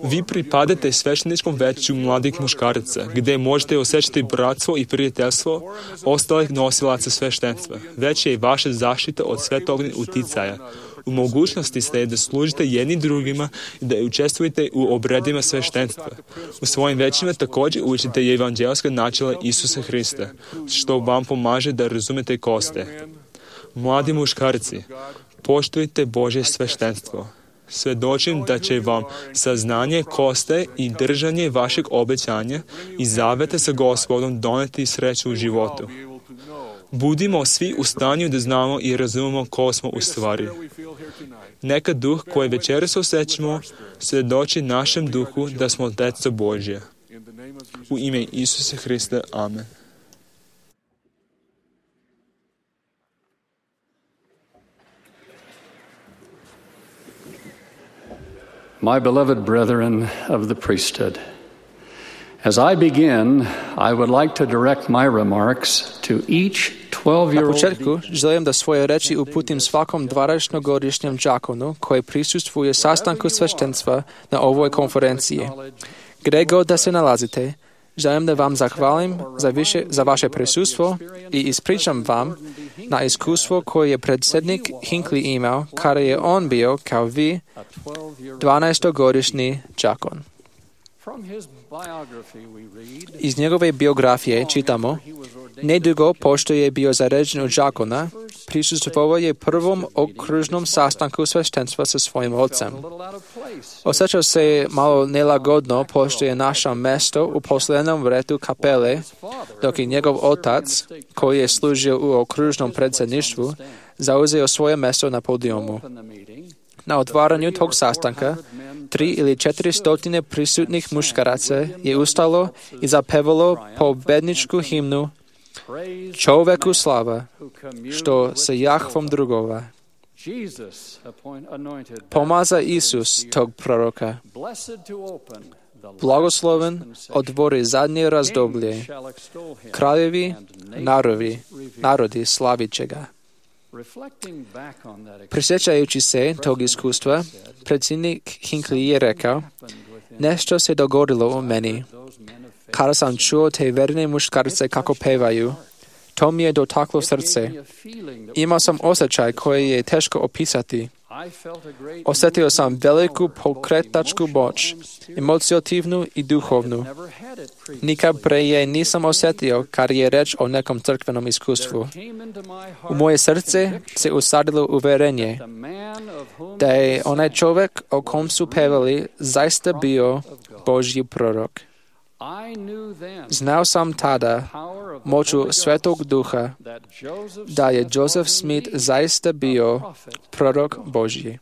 Vi pripadate svešteničkom veću mladih muškaraca, gdje možete osjećati bratstvo i prijateljstvo ostalih nosilaca sveštenstva. Već je i vaša zaštita od svetovnih uticaja. U mogućnosti ste da služite jedni drugima i da učestvujete u obredima sveštenstva. U svojim većima također učite evanđelska načela Isusa Hrista, što vam pomaže da razumete ko ste. Mladi muškarci, poštujte Božje sveštenstvo. Svedočim da će vam saznanje ko ste i držanje vašeg obećanja i zaveta sa Gospodom doneti sreću u životu. Budimo svi u stanju da znamo i razumemo ko smo u stvari. Neka duh koji večeras osjećamo svedoči našem duhu da smo djeca Božja. U ime Isusa Hrista. Amen. My beloved brethren of the priesthood, as I begin, I would like to direct my remarks to each 12-year-old. Na početku želim da svoje reči uputim svakom 12-godišnjem đakonu koji prisustvuje sastanku sveštenstva na ovoj konferenciji. Gdje god da se nalazite, želim da vam zahvalim za vaše prisustvo i ispričam vam na iskustvo koje je predsjednik Hinckley imao kada je on bio, kao vi, 12-godišnji đakon. Iz njegove biografije čitamo: nedugo pošto je bio zaređen u đakona, prisustvovao je prvom okružnom sastanku sveštenstva sa svojim ocem. Osjećao se malo nelagodno pošto je našao mesto u posljednom redu kapele, dok je njegov otac, koji je služio u okružnom predsjedništvu, zauzeo svoje mjesto na podijumu. Na otvaranju tog sastanka 300 ili 400 prisutnih muškaraca je ustalo i zapevalo pobedničku himnu Čovjeku slava, što se Jahvom drugova. Pomaza Isus tog proroka. Blagosloven otvori zadnje razdoblje. Kraljevi, narodi slavit će ga. Prisjećajući se tog iskustva, predsjednik Hinckley je rekao: nešto se dogodilo u meni. Kada sam čuo te verne muškarce kako pevaju, to mi je dotaklo srce. Imao sam osjećaj koji je teško opisati. Osjetio sam veliku pokretačku moć, emocionalnu i duhovnu. Nikad prije nisam osjetio kad je reč o nekom crkvenom iskustvu. U moje srce se usadilo uvjerenje da je onaj čovjek o kom su pevali zaista bio Božji prorok. Znao sam tada moću Svetog Duha da je Joseph Smith zaista bio prorok Božji.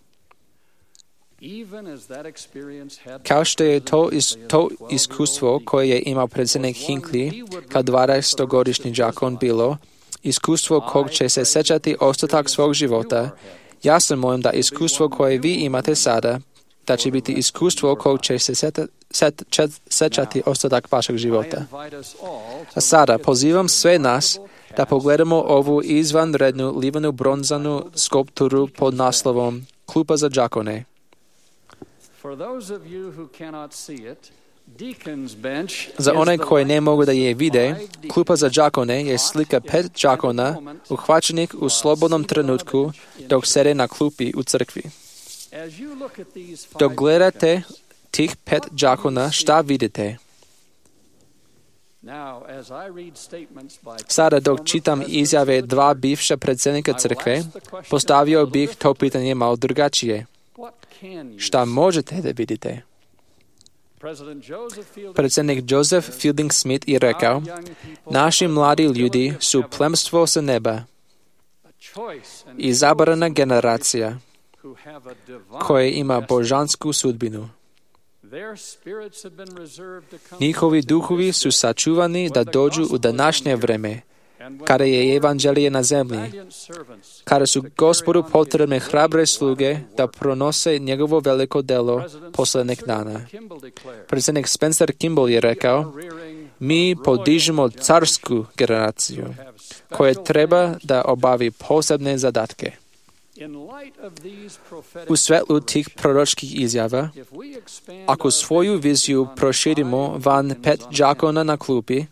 Kao što je to iskustvo koje je imao predsjednik Hinckley kao 20-godišnji đakon bilo, iskustvo kog će se sjećati ostatak svog života, ja sam molim da iskustvo koje vi imate sada, da će biti iskustvo kog će se sjećati ostatak vašeg života. A sada pozivam sve nas da pogledamo ovu izvanrednu livanu bronzanu skulpturu pod naslovom Klupa za đakone. Za one koji ne mogu da je vide, klupa za đakone je slika 5 đakona uhvaćenih u slobodnom trenutku dok sede na klupi u crkvi. Dok gledate tih 5 đakona, šta vidite? Sada dok čitam izjave 2 bivša predsjednika crkve, postavio bih to pitanje malo drugačije. Šta možete da vidite? Predsjednik Joseph Fielding Smith je rekao: naši mladi ljudi su plemstvo sa neba, izabrana generacija koja ima božansku sudbinu. Njihovi duhovi su sačuvani da dođu u današnje vreme, kada je evanđelje na zemlji, kada su Gospodu potrebne hrabre sluge da pronose njegovo veliko delo posljednjeg dana. Predsjednik Spencer Kimball je rekao: mi podižemo carsku generaciju koja treba da obavi posebne zadatke. U svetlu tih proročkih izjava, ako svoju viziju proširimo van 5 đakona na klupi,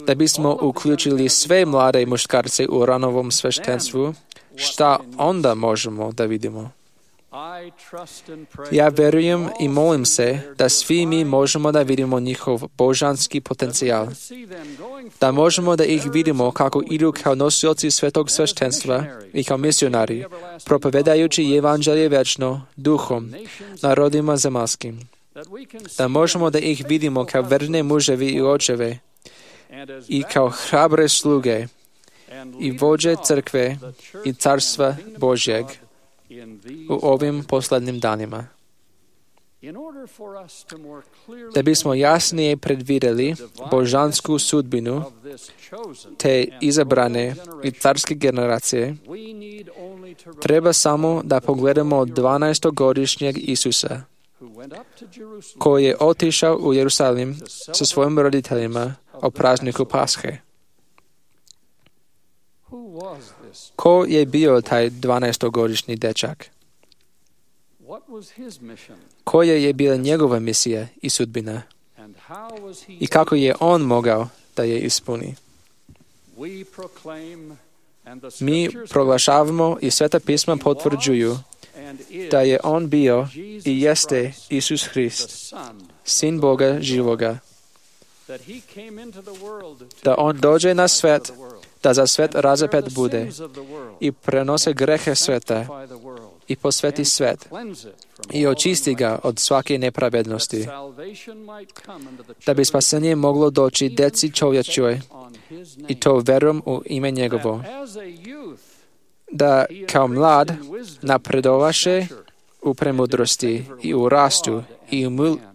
da bismo uključili sve mlade muškarce u ranovom sveštenstvu, šta onda možemo da vidimo? Ja verujem i molim se da svi mi možemo da vidimo njihov božanski potencijal, da možemo da ih vidimo kako idu kao nosioci svetog sveštenstva i kao misionari, propovedajući evanđelje večno duhom, narodima zemaljskim, da možemo da ih vidimo kao verne muževi i očeve i kao hrabre sluge i vođe crkve i carstva Božjeg u ovim posljednjim danima. Da bismo jasnije predvidjeli božansku sudbinu te izabrane i carske generacije, treba samo da pogledamo 12-godišnjeg Isusa, koji je otišao u Jerusalim sa svojim roditeljima o prazniku Pashe. Ko je bio taj 12-godišnji dečak? Koja je bila njegova misija i sudbina? I kako je on mogao da je ispuni? Mi proglašavamo i Sveta pisma potvrđuju da je on bio i jeste Isus Hrist, Sin Boga živoga. Da on dođe na svet, da za svet razapet bude i prenose grehe sveta i posveti svet i očisti ga od svake nepravednosti, da bi spasenje moglo doći deci čovječoj i to verom u ime njegovo, da kao mlad napredovaše u premudrosti i u rastu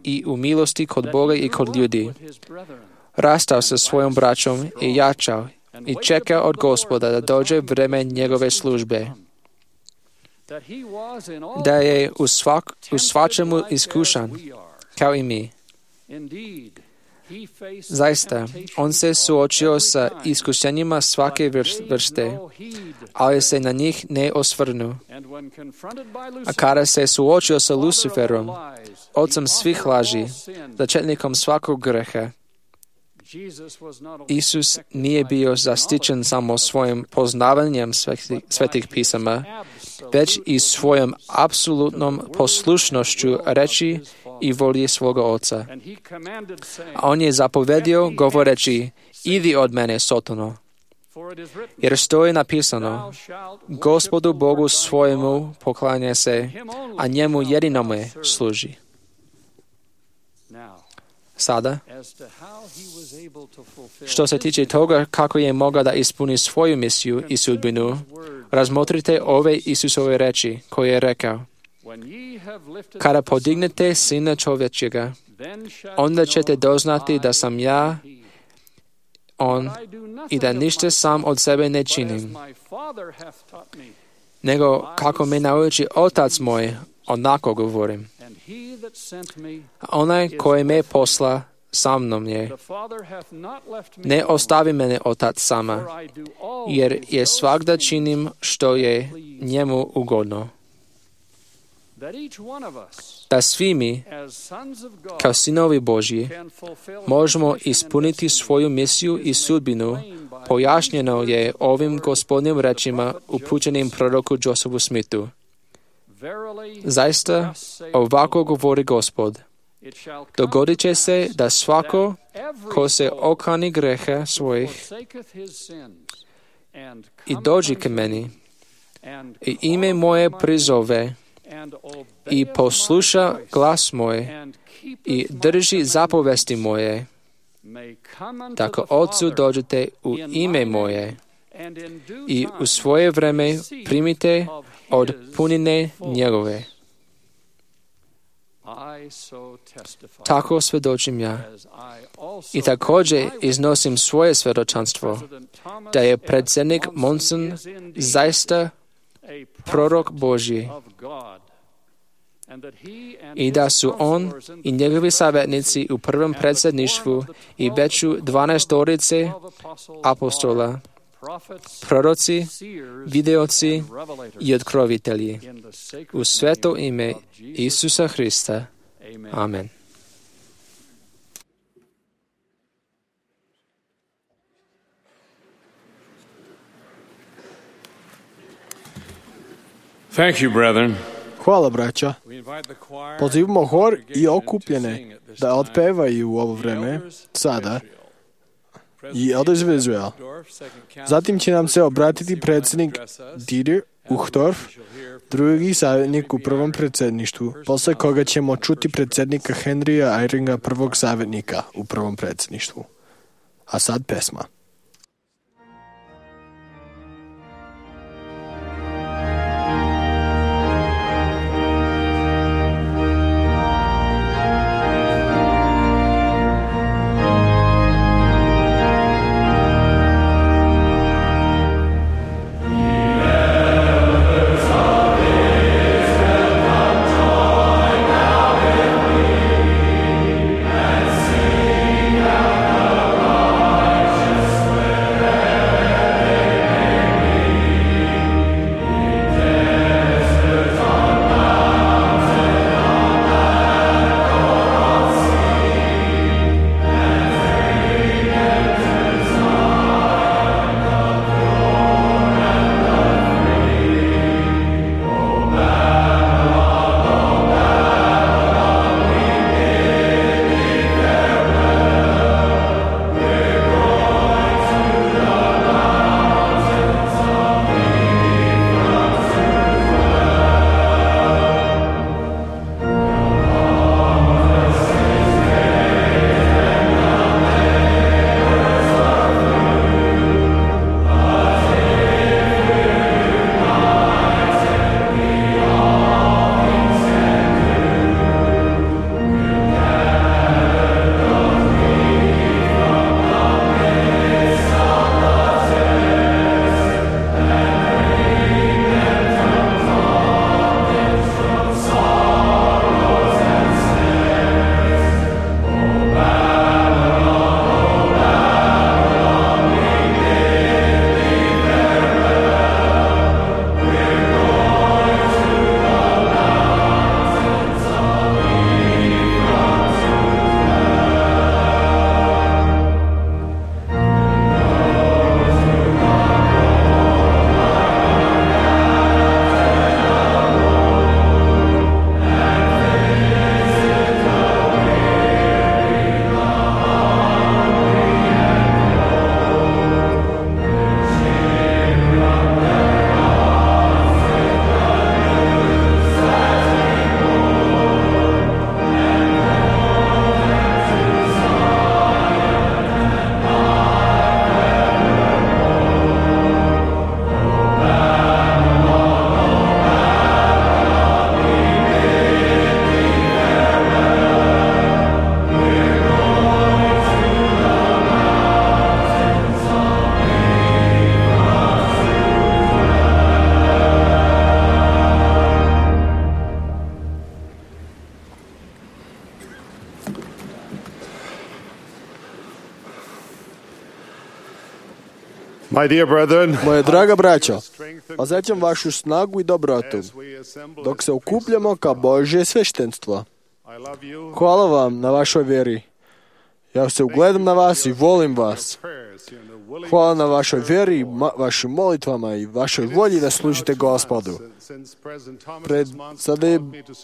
i u milosti kod Boga i kod ljudi. Rastao sa svojom braćom i jačao i čekao od Gospoda da dođe vreme njegove službe. Da je u svačemu iskušan, kao i mi. Zaista, on se suočio sa iskušenjima svake vrste, ali se na njih ne osvrnu. A kada se suočio sa Luciferom, ocem svih laži, začetnikom svakog greha, Isus nije bio zaštićen samo svojim poznavanjem svetih pisama, već i svojom apsolutnom poslušnošću reči i volji svoga Oca. A on je zapovedio govoreći, idi od mene, Sotano, jer stoji napisano, Gospodu Bogu svojemu poklanja se, a njemu jedinome služi. Sada, što se tiče toga kako je mogao da ispuni svoju misiju i sudbinu, razmotrite ove Isusove reči koje je rekao. Kada podignete Sina čovječega, onda ćete doznati da sam ja, on, i da ništa sam od sebe ne činim, nego kako me nauči Otac moj, onako govorim. Onaj koji me posla sa mnom je. Ne ostavi mene Otac sama, jer je svakda činim što je njemu ugodno. Da svi mi, kao sinovi Božji, možemo ispuniti svoju misiju i sudbinu, pojašnjeno je ovim Gospodnjim rečima upućenim proroku Josephu Smithu. Zaista, ovako govori Gospod. Dogodit će se da svako ko se okani greha svojih i dođi k meni i ime moje prizove i posluša glas moj i drži zapovesti moje, tako Otcu dođete u ime moje i u svoje vreme primite od punine njegove. Tako svjedočim ja. I također iznosim svoje svjedočanstvo da je predsjednik Monson zaista prorok Božji i da su on i njegovi savjetnici u prvom predsjedništvu i već 12 apostola, proroci, videoci i otkrovitelji. U sveto ime Isusa Hrista. Amen. Thank you, brethren. Hvala, braća. Pozivamo hor i okupljene da otpevaju u ovo vreme, sada, i Elders of Israel. Zatim će nam se obratiti predsjednik Dieter Uchtdorf, drugi savjetnik u prvom predsjedništvu, posle koga ćemo čuti predsjednika Henrya Eyringa, prvog savjetnika u prvom predsjedništvu. A sad pesma. Righteous Moje draga braćo, osjećam vašu snagu i dobrotu dok se okupljamo kao Božje sveštenstvo. Hvala vam na vašoj vjeri. Ja se ugledam na vas i volim vas. Hvala na vašoj vjeri, vašim molitvama i vašoj volji da služite Gospodu.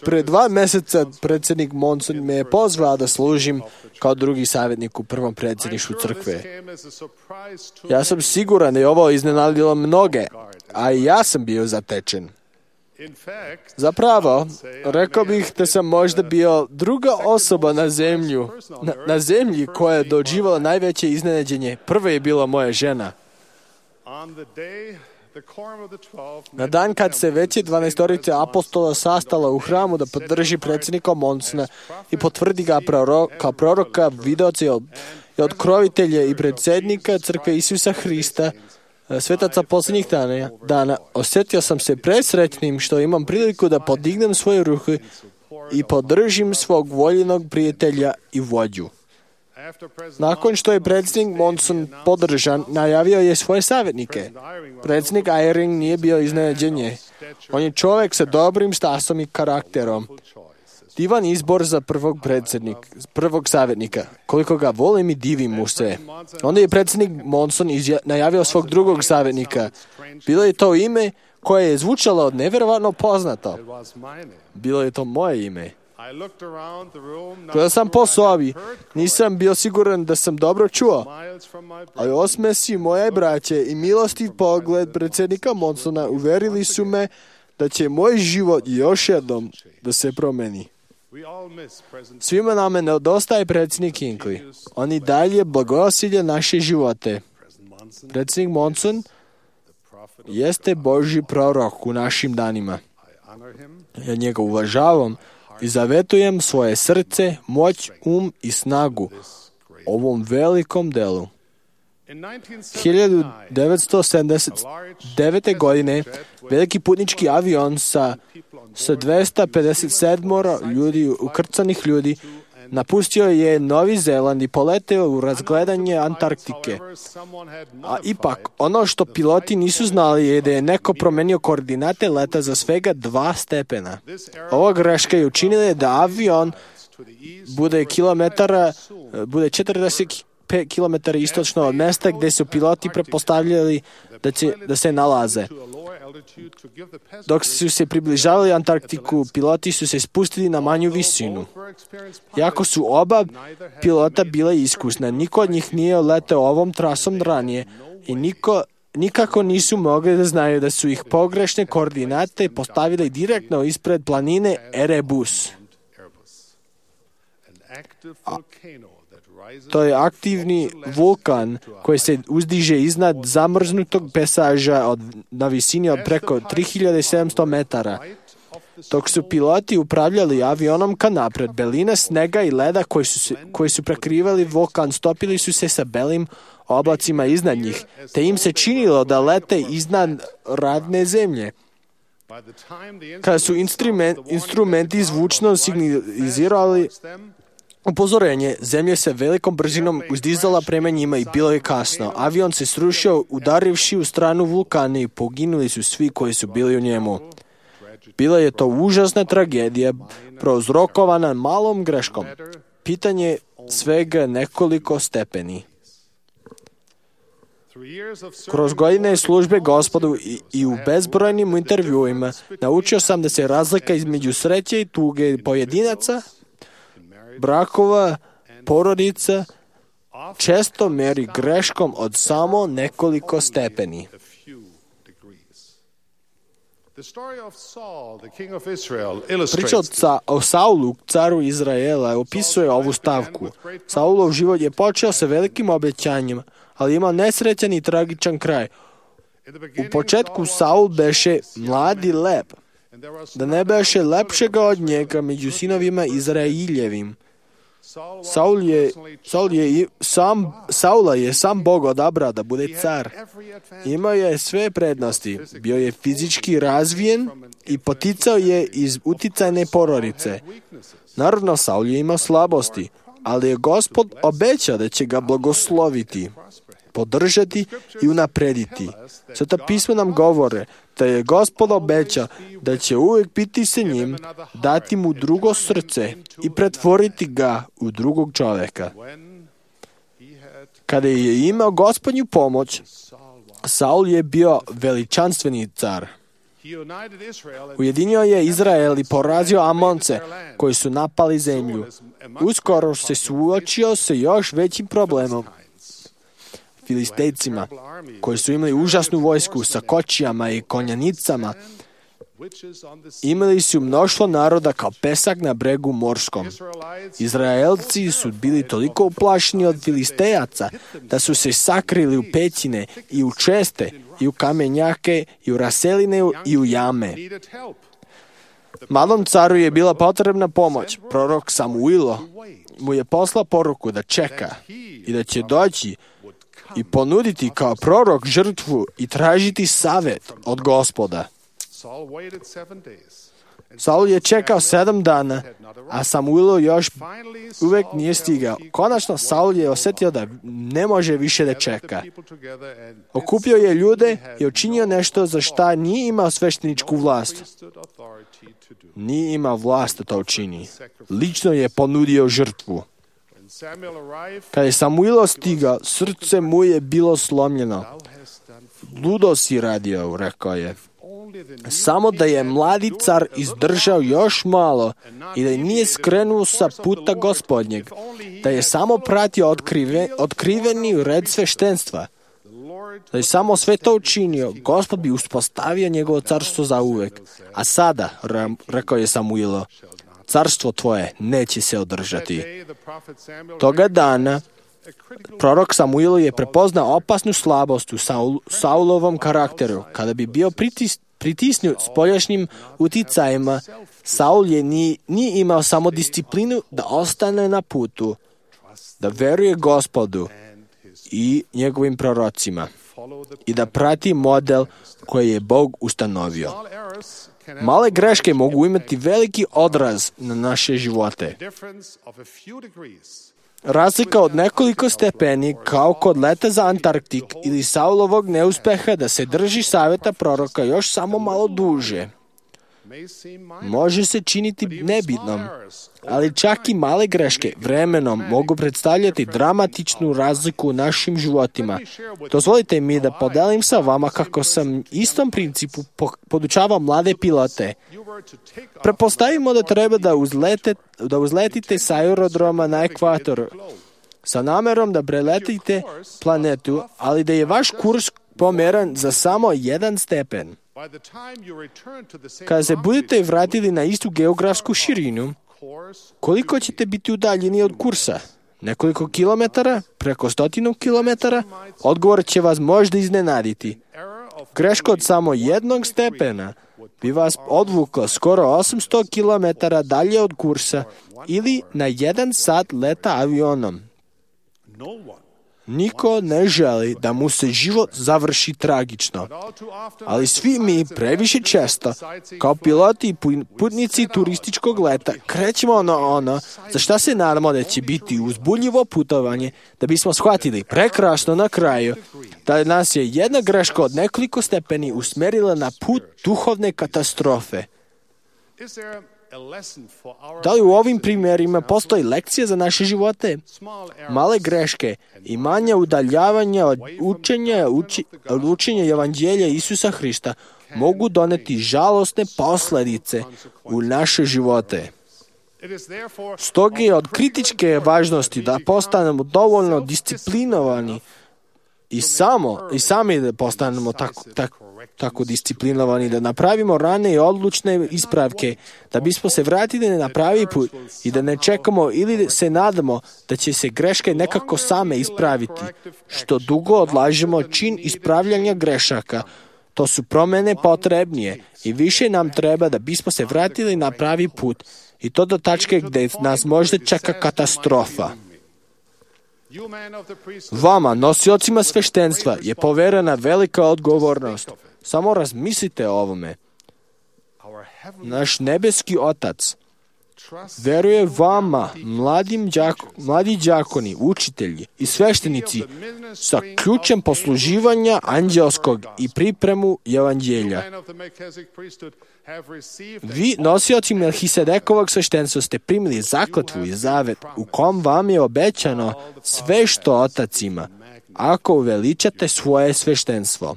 Pred 2 mjeseca predsjednik Monson me je pozvao da služim kao drugi savjetnik u prvom predsjedništvu crkve. Ja sam siguran da je ovo iznenadilo mnoge, a i ja sam bio zatečen. Zapravo, rekao bih da sam možda bio druga osoba na zemlji koja je doživjela najveće iznenađenje. Prva je bila moja žena. Na dan kad se veće 12 apostola sastala u hramu da podrži predsjednika Monsona i potvrdi ga kao proroka, videoca i otkrovitelja i predsjednika crkve Isusa Hrista, svetaca posljednjih dana, osjetio sam se presretnim što imam priliku da podignem svoje ruke i podržim svog voljenog prijatelja i vođu. Nakon što je predsjednik Monson podržan, najavio je svoje savjetnike. Predsjednik Eyring nije bio iznenađenje. On je čovjek sa dobrim stasom i karakterom. Divan izbor za prvog savjetnika. Koliko ga volim i divim mu se. Onda je predsjednik Monson najavio svog drugog savjetnika. Bilo je to ime koje je zvučalo nevjerovatno poznato. Bilo je to moje ime. Gledao sam po sobi, nisam bio siguran da sam dobro čuo, ali osmesi moje braće i milostiv pogled predsjednika Monsona uvjerili su me da će moj život još jednom da se promeni. Svima nama nedostaje predsjednik Hinckley. On i dalje blagosilje naše živote. Predsjednik Monson jeste Božji prorok u našim danima. Ja njega uvažavam i zavetujem svoje srce, moć, i ovom velikom delu. 1979. godine veliki putnički avion sa 257 ljudi, ukrcanih ljudi, napustio je Novi Zeland i poleteo u razgledanje Antarktike. A ipak, ono što piloti nisu znali je da je neko promenio koordinate leta za svega 2 stepena. Ova greška je učinila da avion bude 45 km istočno od mjesta gdje su piloti pretpostavljali da se nalaze. Dok su se približavali Antarktiku, piloti su se spustili na manju visinu. Iako su oba pilota bila iskusna, niko od njih nije leteo ovom trasom ranije i nikako nisu mogli da znaju da su ih pogrešne koordinate postavili direktno ispred planine Erebus. To je aktivni vulkan koji se uzdiže iznad zamrznutog pesaža na visini od preko 3700 metara. Dok su piloti upravljali avionom ka napred, beline snega i leda koji su prekrivali vulkan stopili su se sa belim oblacima iznad njih, te im se činilo da lete iznad radne zemlje. Kada su instrumenti zvučno signalizirali upozorenje, zemlja se velikom brzinom uzdizala prema njima i bilo je kasno. Avion se srušio udarivši u stranu vulkana i poginuli su svi koji su bili u njemu. Bila je to užasna tragedija prouzrokovana malom greškom. Pitanje svega nekoliko stepeni. Kroz godine službe Gospodu i u bezbrojnim intervjuima naučio sam da se razlika između sreće i tuge pojedinaca, brakova, porodica često meri greškom od samo nekoliko stepeni. Priča o Saulu, caru Izraela, opisuje ovu stavku. Saulov život je počeo sa velikim obećanjem, ali ima nesrećan i tragičan kraj. U početku Saul beše mladi lep, da ne beše lepšega od njega među sinovima Izraeljevim. Saula je sam Bog odabrao da bude car. Imao je sve prednosti. Bio je fizički razvijen i poticao je iz uticajne porodice. Naravno, Saul je imao slabosti, ali je Gospod obećao da će ga blagosloviti. podržati i unaprediti. Sveta pisma nam govore da je Gospod obećao da će uvijek biti sa njim, dati mu drugo srce i pretvoriti ga u drugog čoveka. Kada je imao Gospodnju pomoć, Saul je bio veličanstveni car. Ujedinio je Izrael i porazio Amonce koji su napali zemlju. Uskoro se suočio sa još većim problemom, Filistejcima, koji su imali užasnu vojsku sa kočijama i konjanicama. Imali su mnoštvo naroda kao pesak na bregu morskom. Izraelci su bili toliko uplašeni od Filistejaca da su se sakrili u pećine i u česte i u kamenjake i u raseline i u jame. Malom caru je bila potrebna pomoć. Prorok Samuilo mu je poslao poruku da čeka i da će doći i ponuditi kao prorok žrtvu i tražiti savjet od Gospoda. Saul je čekao 7 dana, a Samuilo još uvijek nije stigao. Konačno Saul je osjetio da ne može više da čeka. Okupio je ljude i učinio nešto za šta nije imao svešteničku vlast. Nije imao vlast da to učini. Lično je ponudio žrtvu. Kada je Samuilo stigao, srce mu je bilo slomljeno. Ludo si radio, rekao je. Samo da je mladi car izdržao još malo i da nije skrenuo sa puta Gospodnjeg, da je samo pratio otkriveni red sveštenstva, da je samo sve to učinio, Gospod bi uspostavio njegovo carstvo za uvek. A sada, rekao je Samuilo, carstvo tvoje neće se održati. Toga dana prorok Samuilo je prepoznao opasnu slabost u Saulovom karakteru. Kada bi bio pritisnut spoljašnjim uticajima, Saul nije imao samo disciplinu da ostane na putu, da veruje Gospodu i njegovim prorocima i da prati model koji je Bog ustanovio. Male greške mogu imati veliki odraz na naše živote. Razlika od nekoliko stepeni, kao kod leta za Antarktik ili Saulovog neuspeha da se drži savjeta proroka još samo malo duže, može se činiti nebitnom, ali čak i male greške vremenom mogu predstavljati dramatičnu razliku u našim životima. Dozvolite mi da podelim sa vama kako sam istom principu podučavao mlade pilote. Prepostavimo da treba da uzletite sa aerodroma na ekvatoru sa namerom da preletite planetu, ali da je vaš kurs pomeran za samo 1 stepen. Kada se budete vratili na istu geografsku širinu, koliko ćete biti udaljeni od kursa? Nekoliko kilometara? Preko 100 kilometara? Odgovor će vas možda iznenaditi. Greška od samo 1 stepena bi vas odvukla skoro 800 kilometara dalje od kursa ili na 1 sat leta avionom. Niko ne želi da mu se život završi tragično, ali svi mi previše često, kao piloti i putnici turističkog leta, krećemo na ono za šta se nadamo da će biti uzbudljivo putovanje, da bismo shvatili prekrasno na kraju da nas je jedna greška od nekoliko stepeni usmerila na put duhovne katastrofe. Da li u ovim primjerima postoji lekcija za naše živote? Male greške i manja udaljavanja od učenja evanđelja Isusa Hrista mogu doneti žalosne posljedice u naše živote. Stoga je od kritičke važnosti da postanemo dovoljno disciplinovani i sami da postanemo tako disciplinovani, da napravimo rane i odlučne ispravke, da bismo se vratili na pravi put i da ne čekamo ili se nadamo da će se greške nekako same ispraviti. Što dugo odlažemo čin ispravljanja grešaka, to su promjene potrebnije i više nam treba da bismo se vratili na pravi put i to do tačke gdje nas možda čeka katastrofa. Vama, nosiocima sveštenstva, je poverena velika odgovornost. Samo razmislite o ovome. Naš nebeski Otac veruje vama, mladi đakoni, učitelji i sveštenici, sa ključem posluživanja anđelskog i pripremu evanđelja. Vi, nosioci Melhisedekovog sveštenstva, ste primili zakletvu i zavet u kom vam je obećano sve što otac ima, ako uveličate svoje sveštenstvo.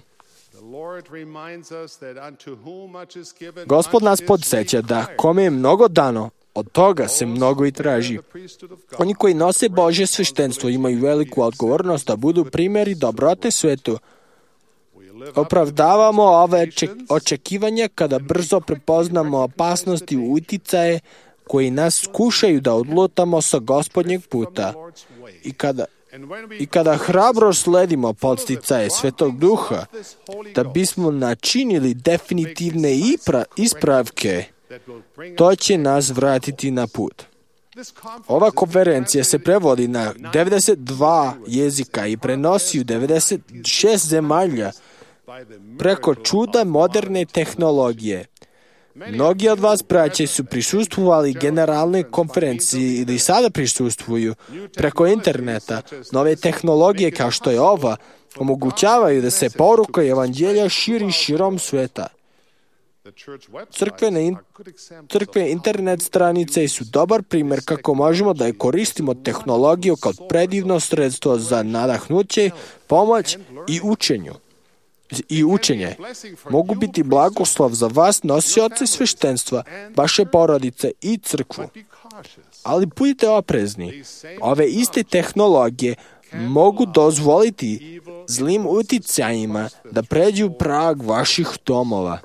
Gospod nas podsjeća da kome je mnogo dano, od toga se mnogo i traži. Oni koji nose Božje sveštenstvo imaju veliku odgovornost da budu primjeri dobrote svetu. Opravdavamo ove očekivanja kada brzo prepoznamo opasnosti i uticaje koji nas skušaju da odlutamo sa Gospodnjeg puta. I kada hrabro sledimo podsticaje Svetog Duha, da bismo načinili definitivne ispravke, to će nas vratiti na put. Ova konferencija se prevodi na 92 jezika i prenosi u 96 zemalja preko čuda moderne tehnologije. Mnogi od vas, braće, su prisustvovali generalnoj konferenciji ili sada prisustvuju preko interneta. Nove tehnologije kao što je ova omogućavaju da se poruka evanđelja širi širom sveta. Crkve internet stranice su dobar primjer kako možemo da koristimo tehnologiju kao predivno sredstvo za nadahnuće, pomoć i učenje. Mogu biti blagoslov za vas, nosioce sveštenstva, vaše porodice i crkvu. Ali budite oprezni. Ove iste tehnologije mogu dozvoliti zlim uticajima da pređu prag vaših domova.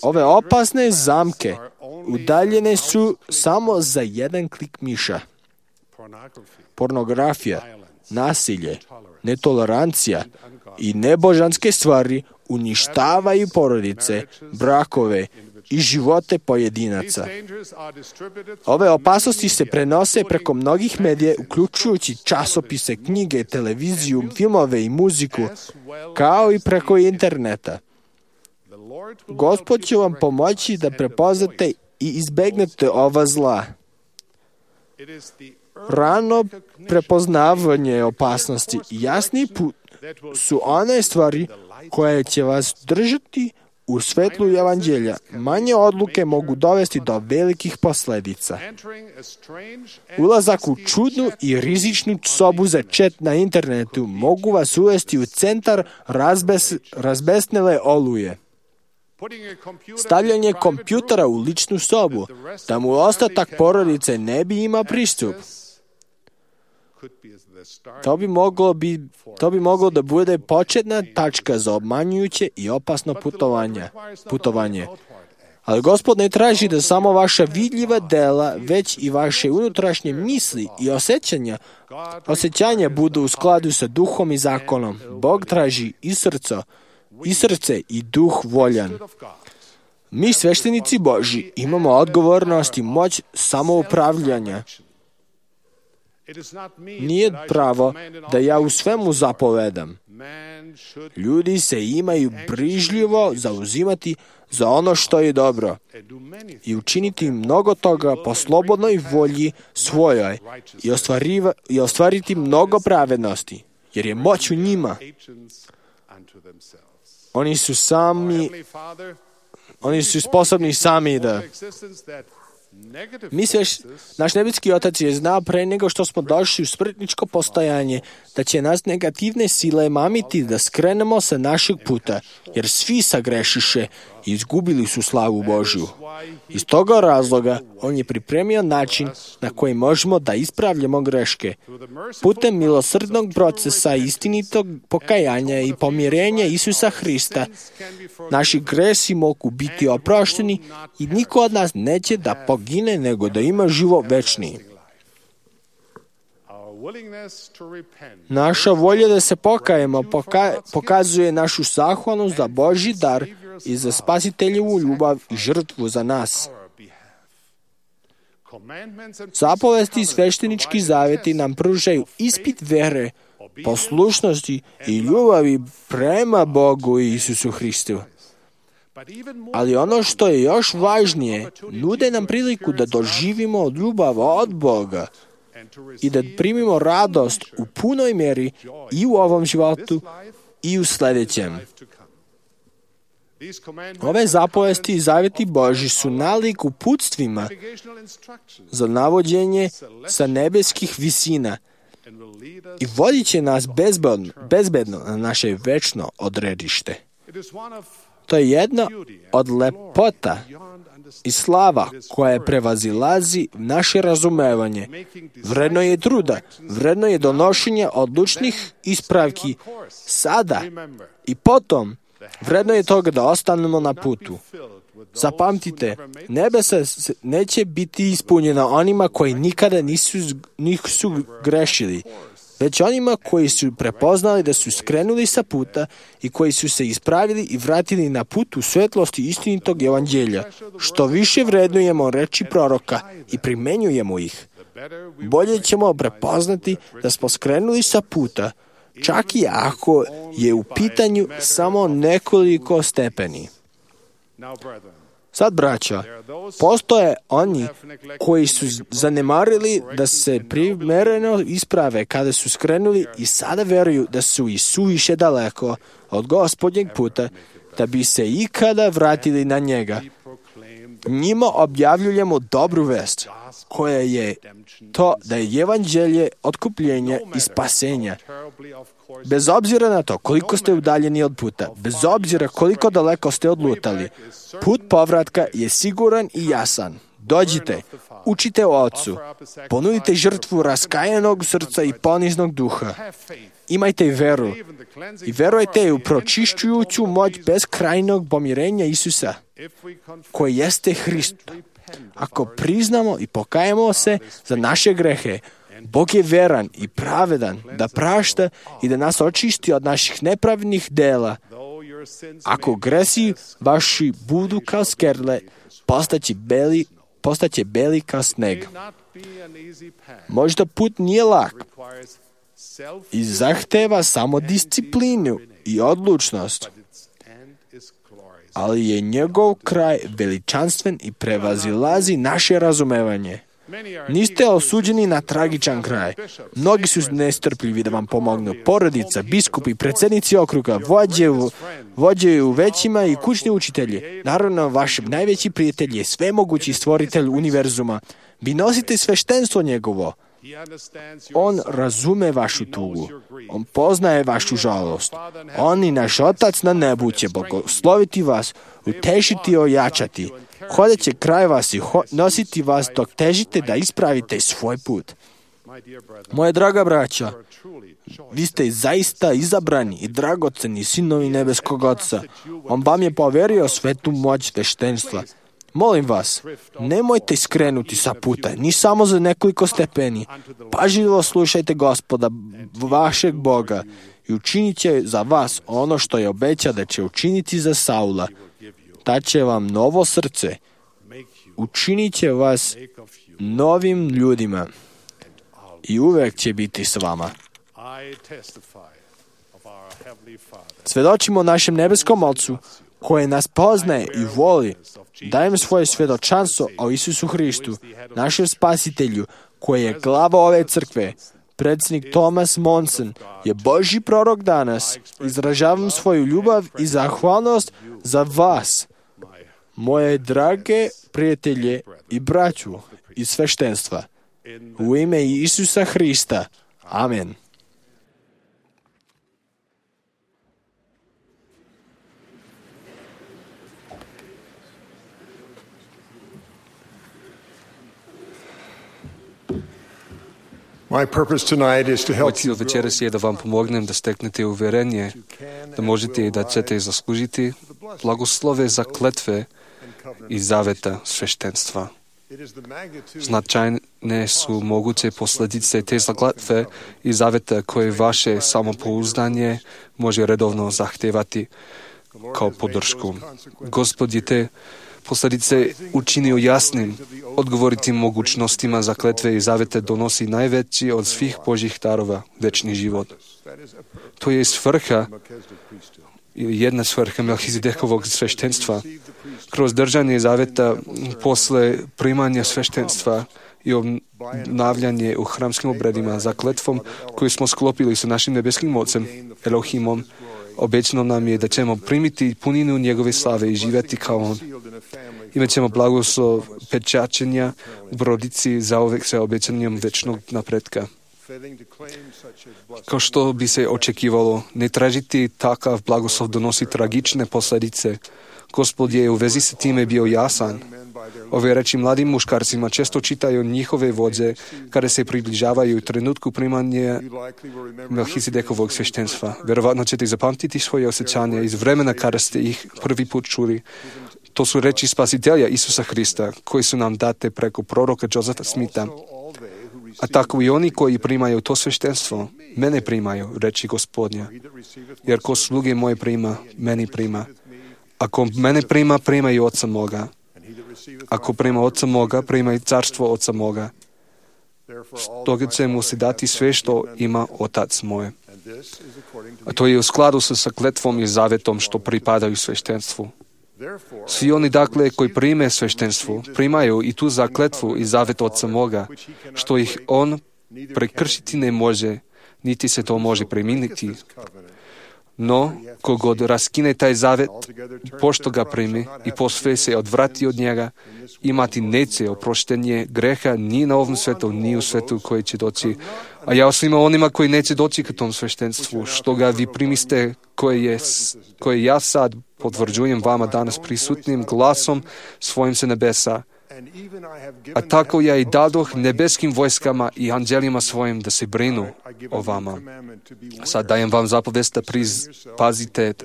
Ove opasne zamke udaljene su samo za jedan klik miša. Pornografija, nasilje, netolerancija i nebožanske stvari uništavaju porodice, brakove i živote pojedinaca. Ove opasnosti se prenose preko mnogih medija, uključujući časopise, knjige, televiziju, filmove i muziku, kao i preko interneta. Gospod će vam pomoći da prepoznate i izbegnete ova zla. Rano prepoznavanje opasnosti i jasni put su one stvari koje će vas držati u svetlu evanđelja. Manje odluke mogu dovesti do velikih posledica. Ulazak u čudnu i rizičnu sobu za chat na internetu mogu vas uvesti u centar razbesnele oluje. Stavljanje kompjutera u ličnu sobu, da mu ostatak porodice ne bi imao pristup. To bi moglo da bude početna tačka za obmanjujuće i opasno putovanje. Ali Gospod ne traži da samo vaša vidljiva dela, već i vaše unutrašnje misli i osjećanja budu u skladu sa duhom i zakonom. Bog traži i srce i duh voljan. Mi, sveštenici Božji, imamo odgovornost i moć samoupravljanja. Nije pravo da ja u svemu zapovedam. Ljudi se imaju brižljivo zauzimati za ono što je dobro i učiniti mnogo toga po slobodnoj volji svojoj i ostvariti mnogo pravednosti, jer je moć u njima. Oni su sposobni sami da... Naš nebeski Otac je znao pre nego što smo došli u smrtničko postojanje da će nas negativne sile mamiti da skrenemo sa našeg puta, jer svi sagrešiše i izgubili su slavu Božju. Iz toga razloga on je pripremio način na koji možemo da ispravljamo greške. Putem milosrdnog procesa istinitog pokajanja i pomirenja Isusa Hrista, naši gresi mogu biti oprošteni i niko od nas neće da pogine, nego da ima život večni. Naša volja da se pokajemo pokazuje našu zahvalnost za Božji dar i za spasiteljevu ljubav i žrtvu za nas. Zapovesti i sveštenički zaveti nam pružaju ispit vere, poslušnosti i ljubavi prema Bogu i Isusu Hristu. Ali ono što je još važnije, nude nam priliku da doživimo ljubav od Boga i da primimo radost u punoj mjeri i u ovom životu i u sljedećem. Ove zapovesti i zavjeti Božji su nalik uputstvima za navođenje sa nebeskih visina i vodit će nas bezbedno na naše večno odredište. To je jedna od lepota i slava koja prevazilazi naše razumevanje. Vredno je truda, vredno je donošenja odlučnih ispravki sada i potom. Vredno je toga da ostanemo na putu. Zapamtite, nebesa neće biti ispunjena onima koji nikada nisu grešili, već onima koji su prepoznali da su skrenuli sa puta i koji su se ispravili i vratili na put u svetlosti istinitog evanđelja. Što više vrednujemo reči proroka i primenjujemo ih, bolje ćemo prepoznati da smo skrenuli sa puta, čak i ako je u pitanju samo nekoliko stepeni. Sad, braća, postoje oni koji su zanemarili da se primereno isprave kada su skrenuli i sada veruju da su i suviše daleko od Gospodnjeg puta da bi se ikada vratili na njega. Njima objavljujemo dobru vest, koja je to da je evanđelje otkupljenja i spasenja. Bez obzira na to koliko ste udaljeni od puta, bez obzira koliko daleko ste odlutali, put povratka je siguran i jasan. Dođite, učite o Otcu, ponudite žrtvu raskajanog srca i poniznog duha. Imajte veru i verujte u pročišćujuću moć beskrajnog pomirenja Isusa, koji jeste Hrist. Ako priznamo i pokajemo se za naše grehe, Bog je veran i pravedan da prašta i da nas očisti od naših nepravednih dela. Ako gresi vaši budu kao skerle, postaće beli kao sneg. Možda put nije lak i zahteva samo disciplinu i odlučnost, ali je njegov kraj veličanstven i prevazilazi naše razumevanje. Niste osuđeni na tragičan kraj. Mnogi su nestrpljivi da vam pomognu. Porodica, biskupi, predsjednici okruga, vođe u većima i kućni učitelji. Naravno, vaš najveći prijatelj je svemogući stvoritelj univerzuma. Vi nosite sveštenstvo njegovo. On razume vašu tugu. On poznaje vašu žalost. On i naš Otac na nebu će blagosloviti vas, utešiti i ojačati. Hodat će kraj vas i nositi vas dok težite da ispravite svoj put. Moje draga braća, vi ste zaista izabrani i dragoceni sinovi nebeskog Oca. On vam je poverio svetu moć sveštenstva. Molim vas, nemojte skrenuti sa puta, ni samo za nekoliko stepeni. Pažljivo slušajte Gospoda, vašeg Boga, i učinit će za vas ono što je obećao da će učiniti za Saula. Daće vam novo srce, učinit će vas novim ljudima i uvek će biti s vama. Svedočimo našem nebeskom Ocu, koji nas poznaje i voli. Dajem svoje svjedočanstvo o Isusu Hristu, našem spasitelju, koji je glava ove crkve. Predsjednik Thomas Monson je Božji prorok danas. Izražavam svoju ljubav i zahvalnost za vas, moje drage prijatelje i braću iz sveštenstva. U ime Isusa Hrista. Amen. Moj cilj večeras je da vam pomognem da steknete uvjerenje, da možete i da ćete zaslužiti blagoslove za kletve i zaveta sveštenstva. Značajne su moguće posljedice te zakletve i zaveta koje vaše samopouzdanje može redovno zahtevati kao podršku. Gospod je te posljedice učinio jasnim. Odgovoriti mogućnostima zakletve i zavete donosi najveći od svih Božjih darova, večni život. To je svrha ili jedna svrha Melhizedekovog sveštenstva. Kroz držanje zaveta posle primanja sveštenstva i obnavljanje u hramskim obredima zakletvom koju smo sklopili sa našim nebeskim Ocem, Elohimom, obećano nam je da ćemo primiti puninu njegove slave i živjeti kao on. Imat ćemo blagoslov pečačenja u brodici zauvek sa obećanjem večnog napretka. Kao što bi se očekivalo, ne tražiti takav blagoslov donosi tragične posljedice. Gospod je u vezi sa time bio jasan. Ove reči mladim muškarcima često čitaju njihove vođe kada se približavaju trenutku primanja Melhizedekovog sveštenstva. Vjerovatno ćete zapamtiti svoje osjećanja iz vremena kada ste ih prvi put čuli. To su reči Spasitelja Isusa Hrista, koji su nam date preko proroka Josefa Smitha. A tako i oni koji primaju to sveštenstvo, mene primaju, reči Gospodnja. Jer ko sluge moje prima, meni prima. Ako mene prima, prima i Oca moga. Ako prima Oca moga, prima i carstvo Oca moga. Stoga će mu se dati sve što ima Otac moj. A to je u skladu sa zakletvom i zavetom što pripadaju sveštenstvu. Svi oni, dakle, koji prime sveštenstvo, primaju i tu zakletvu i zavet Oca moga, što ih on prekršiti ne može, niti se to može preminiti. No, kogod raskine taj zavet, pošto ga primi i posve se odvrati od njega, imati neće oproštenje greha ni na ovom svetu, ni u svetu koji će doći. A ja svima onima koji neće doći k tom sveštenstvu, što ga vi primiste, koje ja sad potvrđujem vama danas prisutnim glasom svojim se nebesa. A tako ja i dadoh nebeskim vojskama i anđelima svojim da se brinu o vama. Sad dajem vam zapovest da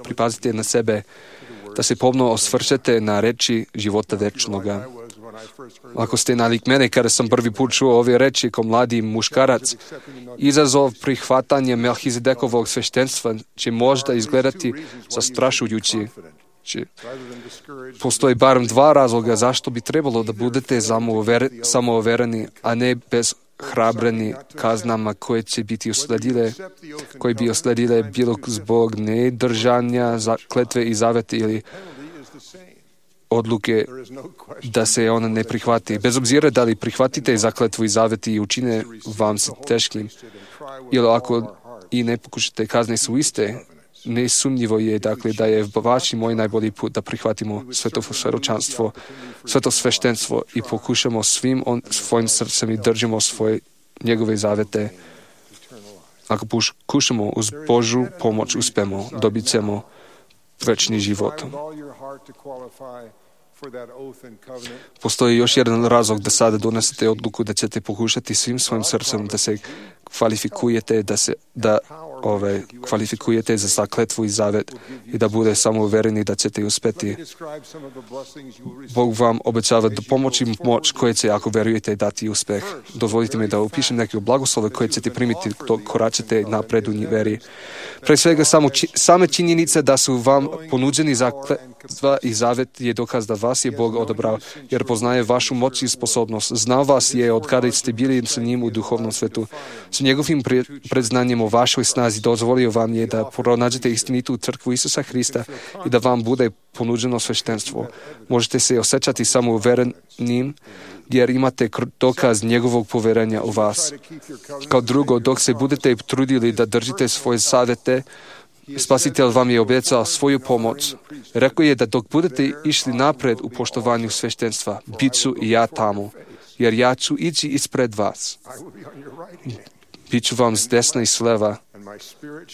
pripazite na sebe, da se pomno osvrćete na reči života večnoga. Ako ste nalik mene, kada sam prvi put čuo ove reči kao mladi muškarac, izazov prihvatanja Melhizedekovog sveštenstva će možda izgledati zastrašujući. Postoji barem dva razloga zašto bi trebalo da budete samouvereni, a ne bezhrabreni kaznama koje bi usledile bilo zbog nedržanja kletve i zaveta ili odluke da se ona ne prihvati. Bez obzira da li prihvatite zakletvu i zavet i učine vam se teškim, ili ako i ne pokušate, kazne su iste. Nesumnjivo je, dakle, da je vaš i moj najbolji put da prihvatimo svetočanstvo, sveto sveštenstvo i pokušamo svim svojim srcem i držimo njegove zavete. Ako pokušamo uz Božju pomoć uspemo, dobit ćemo večni život. Postoji još jedan razlog da sada donesete odluku da ćete pokušati svim svojim srcem da se kvalifikujete za zakletvu i zavet i da bude samouvereni da ćete uspeti. Bog vam obećava da pomoći moć koje će, ako verujete, dati uspeh. Dozvolite mi da upišem neke blagoslove koje ćete primiti dok koračate napred u veri. Pre svega, same činjenice da su vam ponuđeni zakletva i zavet je dokaz da vas je Bog odabrao, jer poznaje vašu moć i sposobnost. Znao vas je od kada ste bili sa njim u duhovnom svetu. S njegovim predznanjem o vašoj snazi dozvolio vam je da pronađete istinitu crkvu Isusa Hrista i da vam bude ponuđeno sveštenstvo. Možete se osjećati samouverenim jer imate dokaz njegovog poverenja u vas. Kao drugo, dok se budete trudili da držite svoje savete, Spasitelj vam je obećao svoju pomoć. Rekao je da dok budete išli napred u poštovanju sveštenstva, bit ću i ja tamo, jer ja ću ići ispred vas. Bit ću vam s desna i s leva,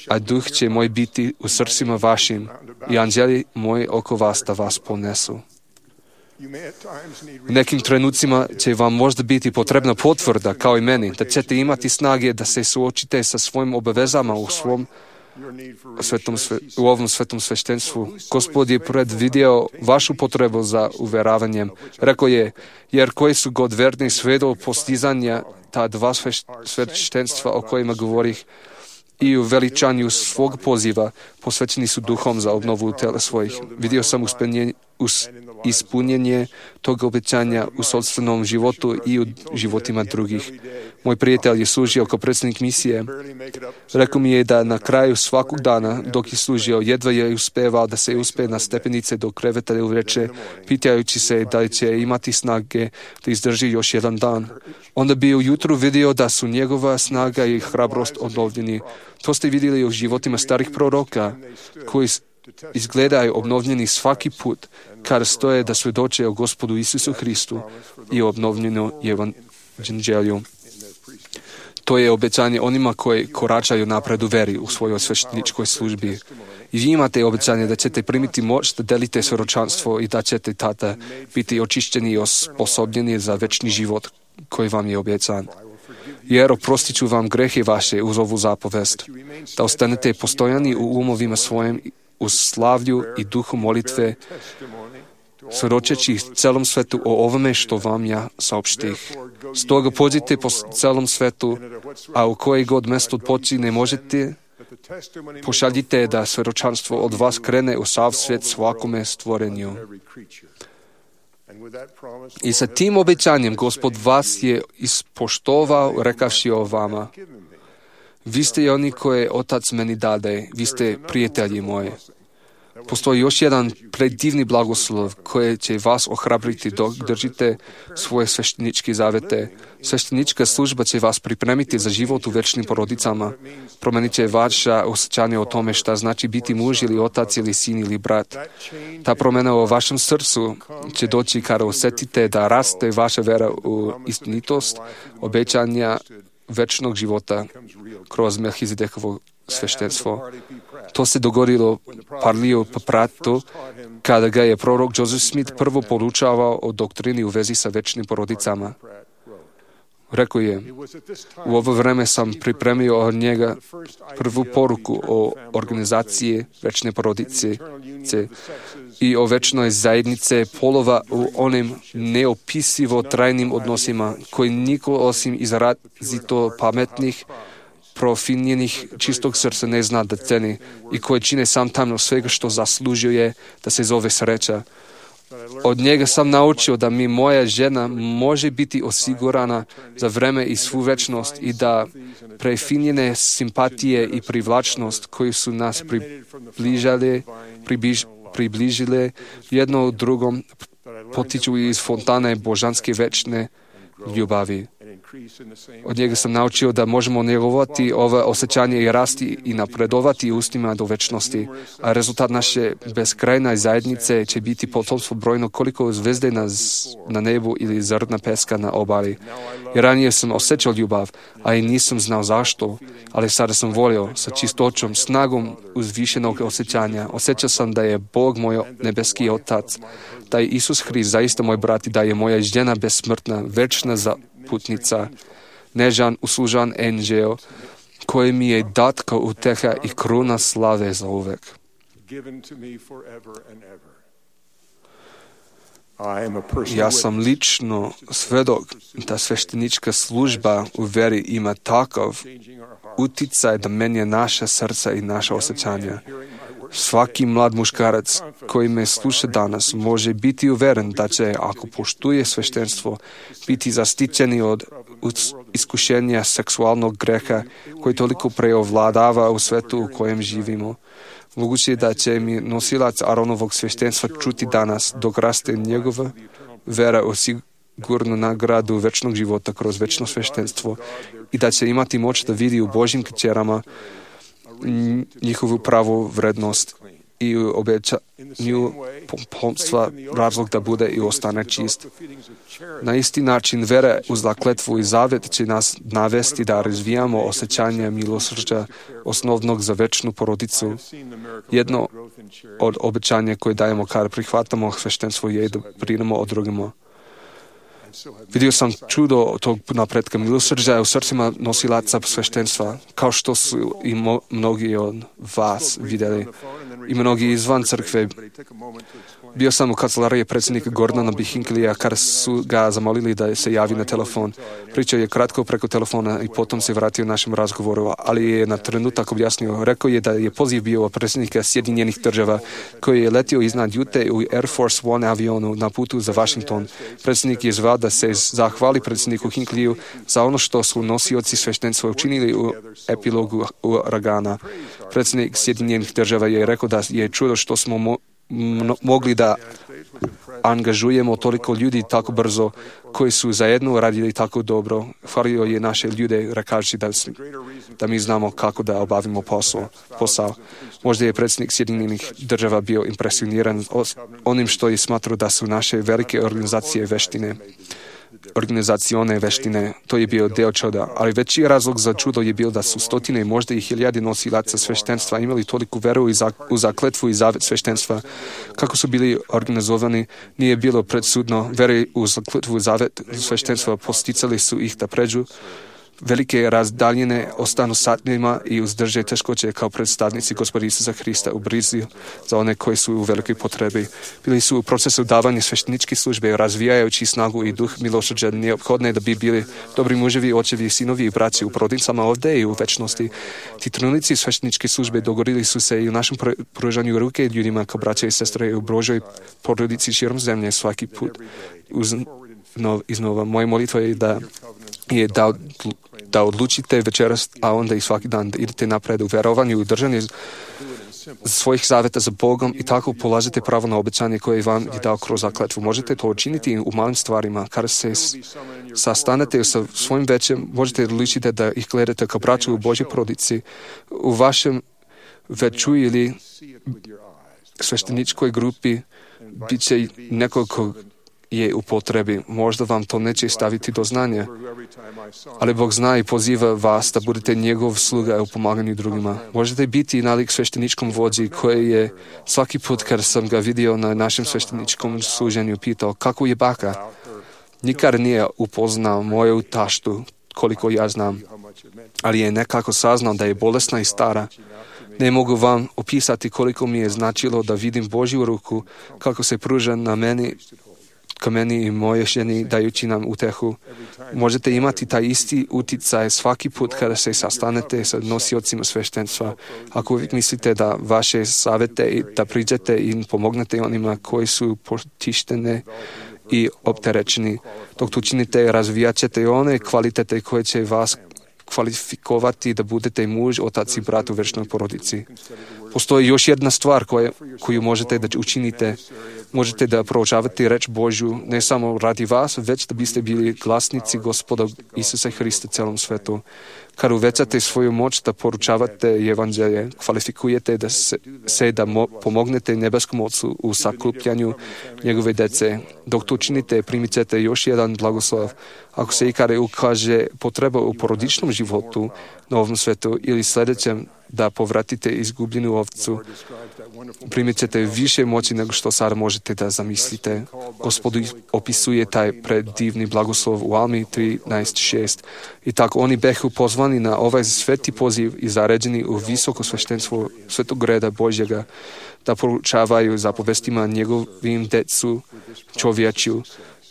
a duh će moj biti u srcima vašim i anđeli moji oko vas da vas ponesu. U nekim trenucima će vam možda biti potrebna potvrda, kao i meni, da ćete imati snage da se suočite sa svojim obavezama u ovom svetom sveštenstvu. Gospod je predvidio vašu potrebu za uveravanjem. Rekao je, jer koji su god verni sve do postizanja ta dva sveštenstva o kojima govorih i u veličanju svog poziva posvećeni su duhom za obnovu tela svojih. Vidio sam ispunjenje tog obećanja u sopstvenom životu i u životima drugih. Moj prijatelj je služio kao predsjednik misije. Rekao mi je da na kraju svakog dana, dok je služio, jedva je uspevao da se uspe na stepenice do kreveta uveče, pitajući se da li će imati snage da izdrži još jedan dan. Onda bi ujutru vidio da su njegova snaga i hrabrost obnovljeni. To ste vidjeli u životima starih proroka, koji izgledaju obnovljeni svaki put kada stoje da svjedoče o Gospodu Isusu Hristu i o obnovljenu evanđelju. To je obećanje onima koji koračaju napred u veri u svojoj svešteničkoj službi. I vi imate obećanje da ćete primiti moć da delite svjedočanstvo i da ćete tada biti očišćeni i osposobljeni za večni život koji vam je obećan. Jer oprostit ću vam grehe vaše uz ovu zapovest, da ostanete postojani u umovima svojim u slavlju i duhu molitve, svjedočeći celom svetu o ovome što vam ja saopštih. Stoga pođite po celom svetu, a u koje god mesto počine možete, pošaljite da svjedočanstvo od vas krene u sav svijet svakome stvorenju. I sa tim obećanjem Gospod vas je ispoštovao, rekavši o vama: vi ste i oni koje Otac meni dade, vi ste prijatelji moji. Postoji još jedan predivni blagoslov koji će vas ohrabriti dok držite svoje svešteničke zavete. Sveštenička služba će vas pripremiti za život u večnim porodicama. Promenit će vaša osjećanje o tome šta znači biti muž ili otac ili sin ili brat. Ta promjena u vašem srcu će doći kada osjetite da raste vaša vera u istinitost obećanja večnog života kroz Melhizedekovo sveštenstvo. To se dogodilo Parliju Papratu kada ga je prorok Joseph Smith prvo podučavao o doktrini u vezi sa večnim porodicama. Rekao je: u ovo vreme sam pripremio od njega prvu poruku o organizaciji večne porodice i o večnoj zajednice polova u onim neopisivo trajnim odnosima koji niko osim izrazito pametnih, profinjenih, čistog srca ne zna da ceni i koje čine sam tamno svega što zaslužuje da se zove sreća. Od njega sam naučio da mi moja žena može biti osigurana za vreme i svu večnost i da prefinjene simpatije i privlačnost koji su nas približile jedno drugom potiču iz fontane božanske večne ljubavi. Od njega sam naučio da možemo njegovati ove osjećanje i rasti i napredovati ustima do večnosti, a rezultat naše beskrajne zajednice će biti potomstvo brojno koliko zvezde na nebu ili zrna peska na obali. Jer ranije sam osjećao ljubav, a i nisam znao zašto, ali sada sam volio sa čistoćom, snagom uzvišenog osjećanja. Osjećao sam da je Bog moj nebeski Otac, da je Isus Hrist zaista moj brat i da je moja žena besmrtna, večna putnica, nežan, uslužan enđel, koji mi je dat kao uteha i kruna slave za uvek. Ja sam lično svedok da sveštenička služba u veri ima takav uticaj da menja naša srca i naša osjećanja. Svaki mlad muškarac koji me sluša danas može biti uveren da će, ako poštuje sveštenstvo, biti zaštićeni od iskušenja seksualnog greha koji toliko preovladava u svetu u kojem živimo. Moguće je da će mi nosilac Aronovog sveštenstva čuti danas dok raste njegova vera u sigurnu nagradu večnog života kroz večno sveštenstvo i da će imati moć da vidi u Božjim kćerama njihovu pravu vrednost i u obećanju pomstva razlog da bude i ostane čist. Na isti način vera uz zakletvu i zavet će nas navesti da razvijamo osjećanje milosrđa osnovnog za večnu porodicu. Jedno od obećanja koje dajemo kada prihvatamo sveštenstvo je da brinemo o drugima. Vidio sam čudo tog napretka milosrđa u srcima nosilaca sveštenstva, kao što su i mnogi od vas vidjeli. I mnogi izvan crkve Bio sam u kancelariji predsjednika Gordona B. Hinckleyja kada su ga zamolili da se javi na telefon. Pričao je kratko preko telefona i potom se vratio našem razgovoru, ali je na trenutak objasnio. Rekao je da je poziv bio od predsjednika Sjedinjenih država koji je letio iznad Jute u Air Force One avionu na putu za Washington. Predsjednik je zvao da se zahvali predsjedniku Hinckleyju za ono što su nosioci sveštenstva učinili u epilogu uragana. Predsjednik Sjedinjenih država je rekao da je čudo što smo mogli da angažujemo toliko ljudi tako brzo koji su zajedno radili tako dobro. Hvalio je naše ljude rekajući da mi znamo kako da obavimo posao. Možda je predsjednik Sjedinjenih država bio impresioniran onim što je smatrao da su naše velike organizacione veštine. To je bio deo čuda, ali veći razlog za čudo je bio da su stotine, možda i hiljade nosilaca sveštenstva imali toliku veru u zakletvu i zavet sveštenstva. Kako su bili organizovani, nije bilo predsudno. Veri u zakletvu i zavet sveštenstva posticali su ih da pređu velike razdaljine, ostanu satima i uzdrže teškoće kao predstavnici Gospoda Isusa Hrista u brizi za one koji su u velikoj potrebi. Bili su u procesu davanja svešteničke službe, razvijajući snagu i duh milosrđa neophodne da bi bili dobri muževi, očevi, sinovi i braći u porodicama ovde i u večnosti. Ti trenuci svešteničke službe dogodili su se i u našem pružanju ruke ljudima kao braća i sestre u Božoj porodici širom zemlje svaki put. Iznova, moja molitva je da odlučite večeras, a onda i svaki dan da idete napred u verovanju i držanju svojih zaveta za Bogom i tako polažete pravo na obećanje koje vam je dao kroz zakletvu. Možete to učiniti u malim stvarima. Kada se sastanete sa svojim većem, možete odlučiti da ih gledate kao braću u Božoj porodici. U vašem veću ili svešteničkoj grupi bit će nekoliko je u potrebi. Možda vam to neće staviti do znanja, ali Bog zna i poziva vas da budete njegov sluga u pomaganju drugima. Možete biti nalik svešteničkom vođi koji je svaki put kad sam ga vidio na našem svešteničkom služenju pitao kako je baka. Nikad nije upoznao moju taštu koliko ja znam, ali je nekako saznao da je bolesna i stara. Ne mogu vam opisati koliko mi je značilo da vidim Božju ruku kako se pruža ka meni i moje ženi dajući nam utehu. Možete imati taj isti uticaj svaki put kada se sastanete sa nosiocima sveštenstva. Ako uvijek mislite da vaše savete i da priđete i pomognete onima koji su potištene i opterećeni, dok to činite, razvijat ćete one kvalitete koje će vas kvalifikovati da budete muž, otac i brat u večnoj porodici. Postoji još jedna stvar koju možete da učinite. Možete da proučavate reč Božju ne samo radi vas, već da biste bili glasnici Gospoda Isusa Hrista celom svetu. Kad uvećate svoju moć da poručavate evanđelje, kvalifikujete da pomognete nebeskom Ocu u sakupljanju njegove dece. Dok to činite, primit ćete još jedan blagoslov. Ako se ikada ukaže potreba u porodičnom životu na ovom svetu ili sljedećem da povratite izgubljenu ovcu, primit ćete više moći nego što sada možete da zamislite. Gospod opisuje taj predivni blagoslov u Almi 13.6. I tako oni behu pozvani na ovaj sveti poziv i zaređeni u visoko sveštenstvo svetog reda Božjega da poručavaju zapovestima njegovim decu čovječju,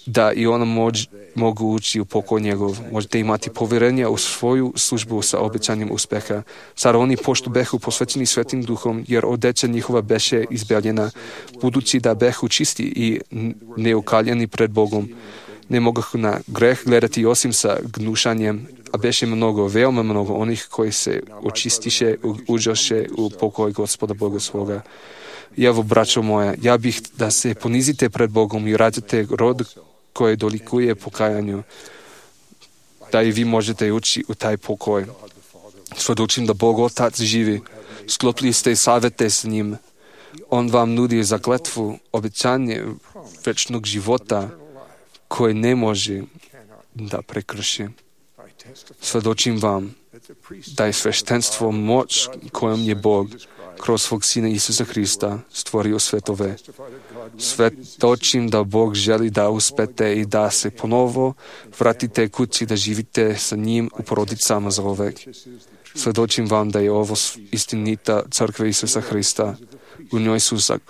da i ona mogu ući u pokoj njegov. Možete imati povjerenja u svoju službu sa obećanjem uspeha. Sada oni pošto behu posvećeni svetim duhom, jer odeća njihova beše izbeljena, budući da behu čisti i neukaljeni pred Bogom. Ne mogu na greh gledati osim sa gnušanjem, a beše mnogo, veoma mnogo onih koji se očistiše, uđoše u pokoj Gospoda Boga svoga. I evo, braćo moja, ja bih da se ponizite pred Bogom i rađate rod koje dolikuje pokajanju, da i vi možete ući u taj pokoj. Svjedočim da Bog Otac živi, sklopili ste savete s njim. On vam nudi zakletvu, obećanje večnog života koje ne može da prekrši. Svjedočim vam da je sveštenstvo moć kojom je Bog kroz svog Sina Isusa Hrista stvorio svetove. Svjedočim da Bog želi da uspete i da se ponovo vratite kući da živite sa njim u porodicama za uvek. Svjedočim vam da je ovo istinita crkva Isusa Hrista. U njoj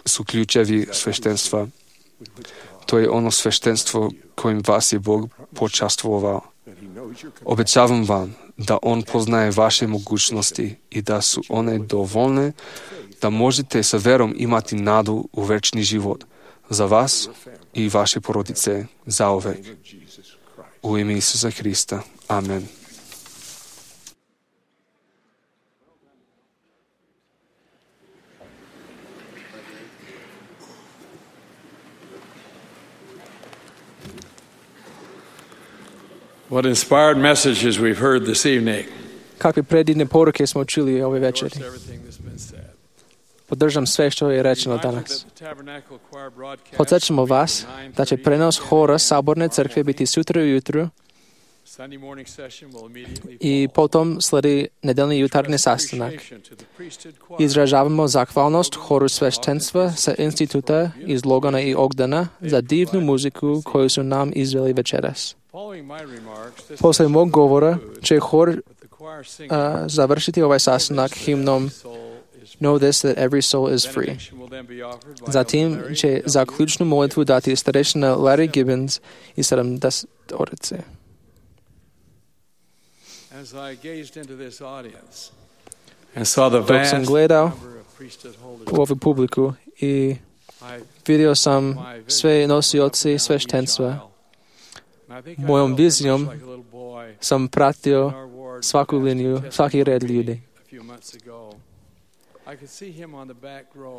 su ključevi sveštenstva. To je ono sveštenstvo kojim vas je Bog počastvovao. Obećavam vam da On poznaje vaše mogućnosti i da su one dovoljne da možete sa verom imati nadu u večni život za vas i vaše porodice zauvek. U ime Isusa Hrista. Amen. What inspired messages we've heard this evening. Kakve predivne poruke smo čuli ove večeri. Podržam sve što je rečeno danas. Podsjećamo vas da će prenos hora Saborne crkve biti sutra ujutru i potom sledi nedeljni jutarnji sastanak. Izražavamo zahvalnost horu sveštenstva sa instituta iz Logana i Ogdana za divnu muziku koju su nam izveli večeras. Posle mog govora će hor završiti ovaj sastanak himnom Know this that every soul is free. Zatim će zaključnu molitvu dati starešina Larry Gibbons i 70-orice. Dok sam gledao u ovu publiku i vidio sam sve nosioci sveštenstva, mojom vizijom sam pratio svaku liniju, svaki red ljudi.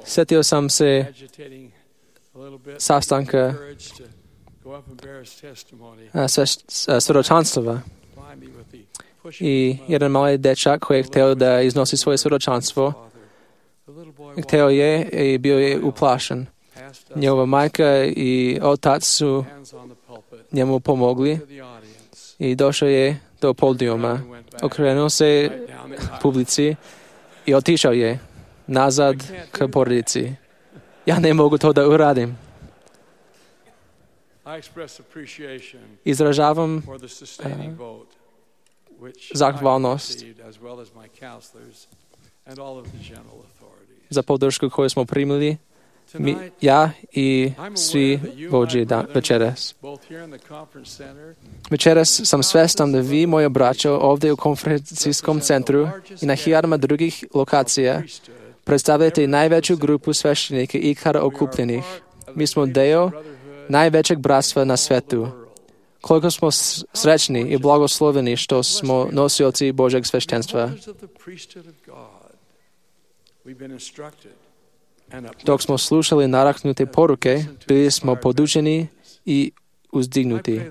Sjetio sam se sastanka svjedočanstva i jedan mali dečak koji je htio da iznosi svoje svjedočanstvo, htio je i bio je uplašen. Njegova majka i otac su njemu pomogli i došao je do podijuma. Okrenuo se publici i otišao je nazad k porodici. Ja ne mogu to da uradim. Izražavam zahvalnost za podršku koju smo primili, ja i svi vođe večeras. Večeras sam svestan da vi, moji braćo, ovdje u konferencijskom centru i na hiljadama drugih lokacija predstavljate najveću grupu sveštenika ikada okupljenih. Mi smo deo najvećeg bratstva na svetu. Koliko smo srećni i blagosloveni što smo nosioci Božeg sveštenstva. Dok smo slušali nadahnute poruke, bili smo podučeni i uzdignuti.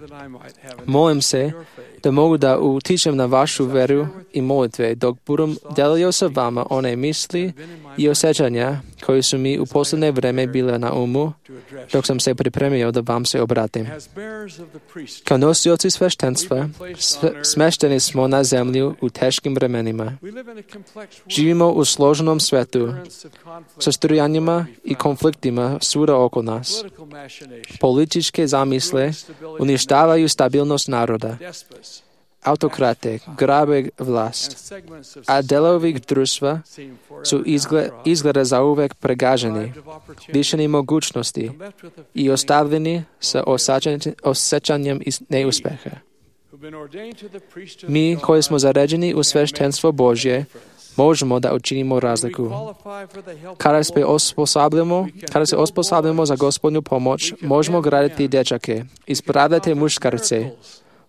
Molim se da mogu da utičem na vašu veru i molitve dok budem delio sa vama one misli i osjećanja koji su mi u posljednje vreme bile na umu dok sam se pripremio da vam se obratim. Kao nosioci sveštenstva smešteni smo na zemlju u teškim vremenima. Živimo u složenom svetu sa strujanjima i konfliktima svuda oko nas. Političke zamisle uništavaju stabilnost naroda. Autokrate grabe vlast, a delovi društva su izgleda zauvek pregaženi, lišeni mogućnosti i ostavljeni sa osjećanjem neuspeha. Mi koji smo zaređeni u sveštenstvo Božje, možemo da učinimo razliku. Kada se osposobljamo za Gospodnju pomoć, možemo graditi dečake, ispravljati muškarce,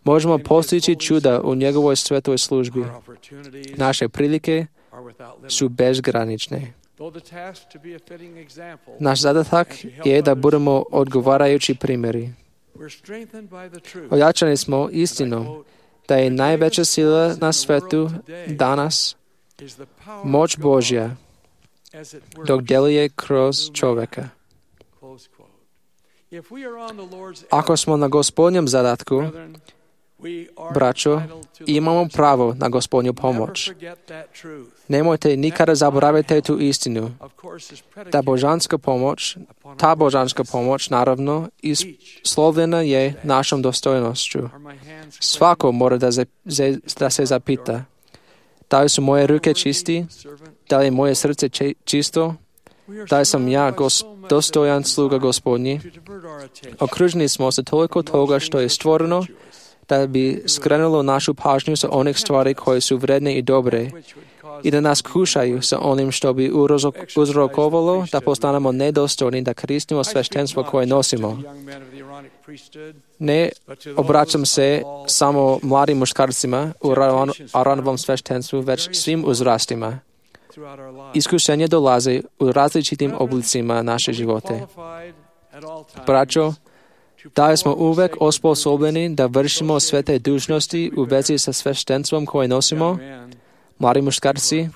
možemo postići čuda u njegovoj svetoj službi. Naše prilike su bezgranične. Naš zadatak je da budemo odgovarajući primjeri. Ojačani smo istinom da je najveća sila na svetu danas moć Božja dok djeluje kroz čovjeka. Ako smo na Gospodnjem zadatku, braćo, imamo pravo na Gospodnju pomoć. Nemojte nikada zaboraviti tu istinu. Ta božanska pomoć, naravno, islovljena je našom dostojnošću. Svako mora da se zapita, da li su moje ruke čisti, da li je moje srce čisto, da sam ja dostojan sluga Gospodnji. Okruženi smo sa toliko toga što je stvoreno, da bi skrenulo našu pažnju sa onih stvari koje su vredne i dobre i da nas kušaju sa onim što bi uzrokovalo da postanemo nedostojni da koristimo sveštenstvo koje nosimo. Ne obraćam se samo mladim muškarcima u Aronovom sveštenstvu, već svim uzrastima. Iskušenje dolaze u različitim oblicima naše živote. Braćo, da smo uvek osposobljeni da vršimo sve te dužnosti u vezi sa sveštenstvom koje nosimo. Mladi muškarci,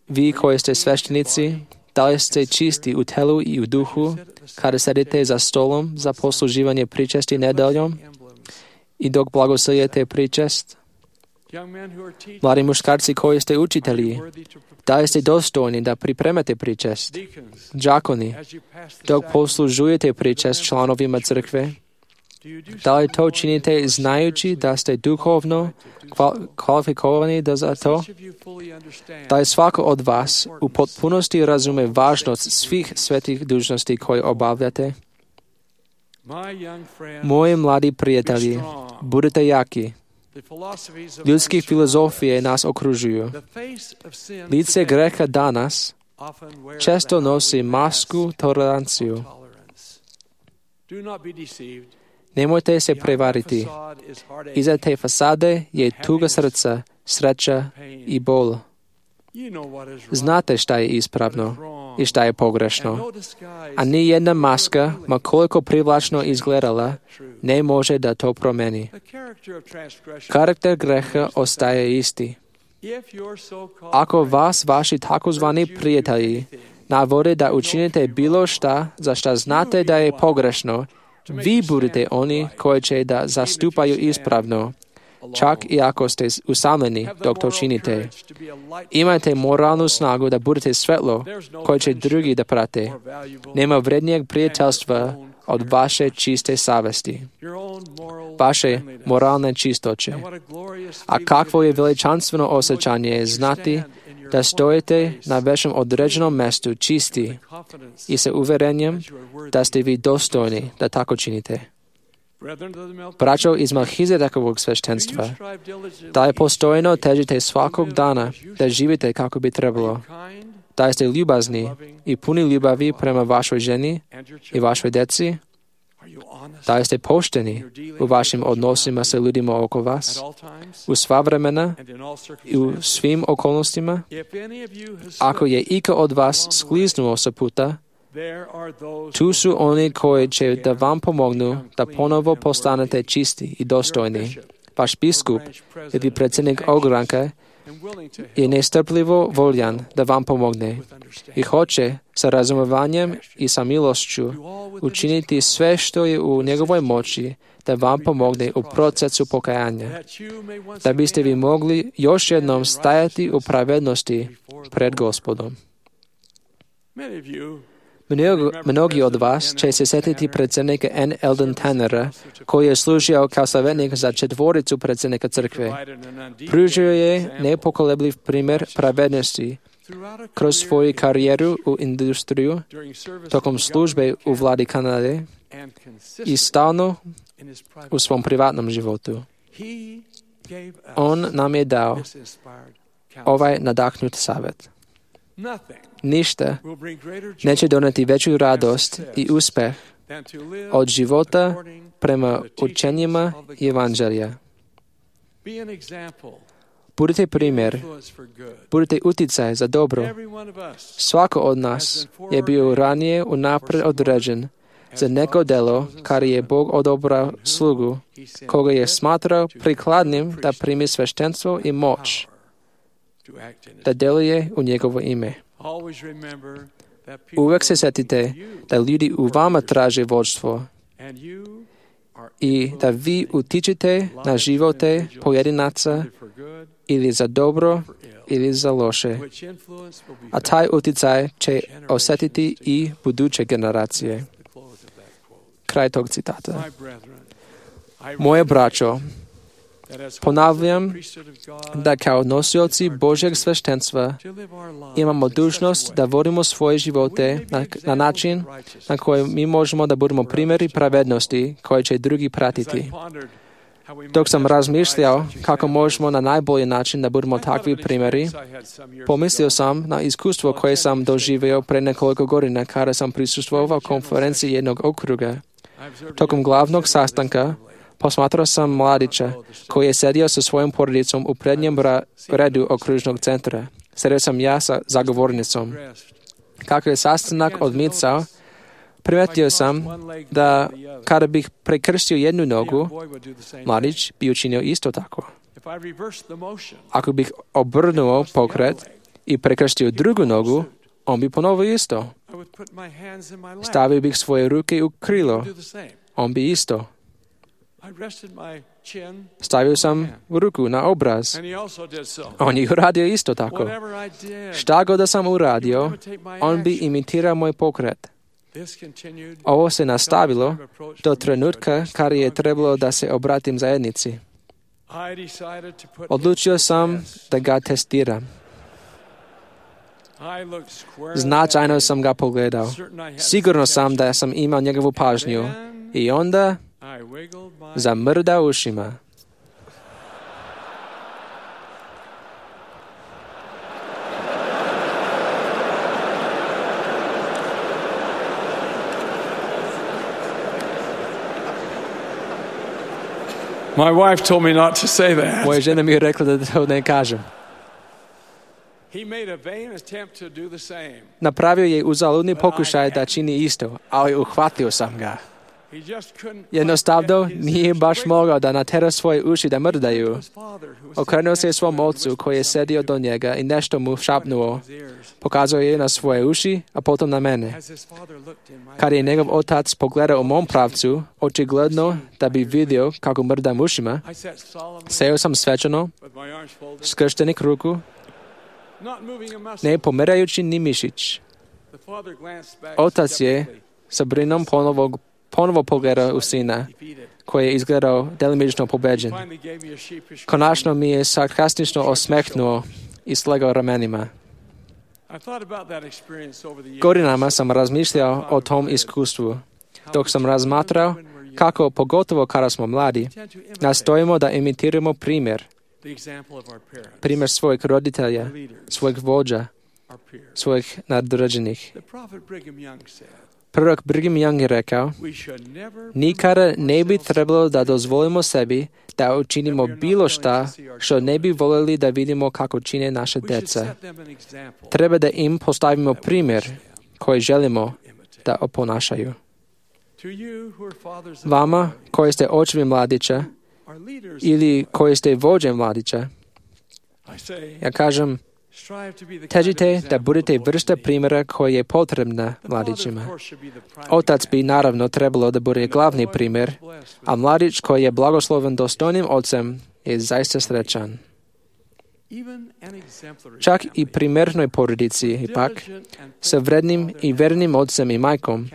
vi koji ste sveštenici, da li ste čisti u telu i u duhu kada sedite za stolom za posluživanje pričesti nedeljom i dok blagoslovljujete pričest? Mladi muškarci koji ste učitelji, da li ste dostojni da pripremate pričest? Đakoni, dok poslužujete pričest članovima crkve, da li to činite znajući da ste duhovno kvalifikovani za to? Da li svako od vas u potpunosti razume važnost svih svetih dužnosti koje obavljate? Moji mladi prijatelji, budite jaki. Ljudske filozofije nas okružuju. Lice greha danas često nosi masku toleranciju. Nemojte se prevariti. Iza te fasade je tuga srca, sreća i bol. Znate šta je ispravno i šta je pogrešno. A ni jedna maska, ma koliko privlačno izgledala, ne može da to promeni. Karakter greha ostaje isti. Ako vas vaši takozvani prijatelji navode da učinite bilo šta za šta znate da je pogrešno, vi budete oni koji će da zastupaju ispravno, čak i ako ste usamljeni dok to činite. Imajte moralnu snagu da budete svetlo koje će drugi da prate. Nema vrednijeg prijateljstva od vaše čiste savesti, vaše moralne čistoće. A kakvo je veličanstveno osjećanje znati da stojite na vašem određenom mjestu čisti i sa uverenjem da ste vi dostojni da tako činite. Braćo iz Melhizedekovog sveštenstva, da je postojno težite svakog dana da živite kako bi trebalo, da ste ljubazni i puni ljubavi prema vašoj ženi i vašoj djeci, da ste pošteni u vašim odnosima sa ljudima oko vas, u sva vremena i u svim okolnostima. Ako je iko od vas skliznuo sa puta, tu su oni koji će da vam pomognu da ponovo postanete čisti i dostojni. Vaš biskup ili predsjednik ogranka je nestrpljivo voljan da vam pomogne i hoće sa razumovanjem i sa milošću učiniti sve što je u njegovoj moći da vam pomogne u procesu pokajanja, da biste vi mogli još jednom stajati u pravednosti pred Gospodom. Mnogi od vas će se sjetiti predsjednika N. Eldon Tannera, koji je služio kao savjetnik za 4 predsjednika crkve. Pružio je nepokolebljiv primjer pravednosti kroz svoju karijeru u industriju, tokom službe u vladi Kanade i stalno u svom privatnom životu. On nam je dao ovaj nadahnut savjet. Ništa neće doneti veću radost i uspeh od života prema učenjima Evanđelja. Budite primjer, budite utjecaj za dobro. Svako od nas je bio ranije unaprijed određen za neko delo kar je Bog odobrao slugu, koga je smatrao prikladnim da primi sveštenstvo i moć, da djeluje u njegovo ime. Uvijek se sjetite da ljudi u vama traže vodstvo i da vi utičete na živote pojedinaca ili za dobro ili za loše. A taj utjecaj će osjetiti i buduće generacije. Kraj tog citata. Moje braćo, Ponavljam da kao nosioci Božjeg sveštenstva imamo dužnost da vodimo svoje živote na način na koji mi možemo da budemo primjeri pravednosti koje će drugi pratiti. Dok sam razmišljao kako možemo na najbolji način da budemo takvi primjeri, pomislio sam na iskustvo koje sam doživio pre nekoliko godina kada sam prisustvovao konferenciji jednog okruga. Tokom glavnog sastanka posmatrao sam mladića koji je sedio sa svojom porodicom u prednjem redu okružnog centra. Sedio sam ja sa zagovornicom. Kako je sastanak odmicao, primetio sam da kada bih prekrstio jednu nogu, mladić bi učinio isto tako. Ako bih obrnuo pokret i prekrstio drugu nogu, on bi ponovio isto. Stavio bih svoje ruke u krilo, on bi isto. Stavio sam ruku na obraz. On je uradio isto tako. Šta god da sam uradio, on bi imitirao moj pokret. Ovo se nastavilo do trenutka kada je trebalo da se obratim zajednici. Odlučio sam da ga testiram. Značajno sam ga pogledao. Sigurno sam da sam imao njegovu pažnju. I onda zamrdao ušima. My wife told me not to say that. Moja žena mi je rekla da to ne kažem. He made a vain attempt to do the same. Napravio je uzaludni pokušaj da čini isto, ali uhvatio sam ga. Jednostavno nije baš mogao da natera svoje uši da mrdaju. Okrenuo se svom ocu koji je sedio do njega i nešto mu šapnuo. Pokazao je na svoje uši, a potom na mene. Kad je njegov otac pogledao u mom pravcu, očigledno da bi vidio kako mrdam ušima, seo sam svečano, skrštenih ruku, ne pomerajući ni mišić. Otac je sa brinom ponovo pogledao u sina, koji je izgledao delimično pobeđen. Konačno mi je sarkastično osmehnuo i slegao ramenima. Godinama sam razmišljao o tom iskustvu, dok sam razmatrao kako, pogotovo kada smo mladi, nastojimo da imitiramo primjer svojeg roditelja, svojeg vođa, svojih nadređenih. Prorok Brigham Young je rekao, nikada ne bi trebalo da dozvolimo sebi da učinimo bilo šta što ne bi voljeli da vidimo kako čine naše deca. Treba da im postavimo primjer koji želimo da oponašaju. Vama koji ste očevi mladića ili koji ste vođe mladića, ja kažem, težite da budete vrsta primjera koja je potrebna mladićima. Otac bi naravno trebalo da bude glavni primjer, a mladić koji je blagosloven dostojnim ocem je zaista srećan. Čak i primjernoj porodici, ipak, sa vrednim i vernim ocem i majkom,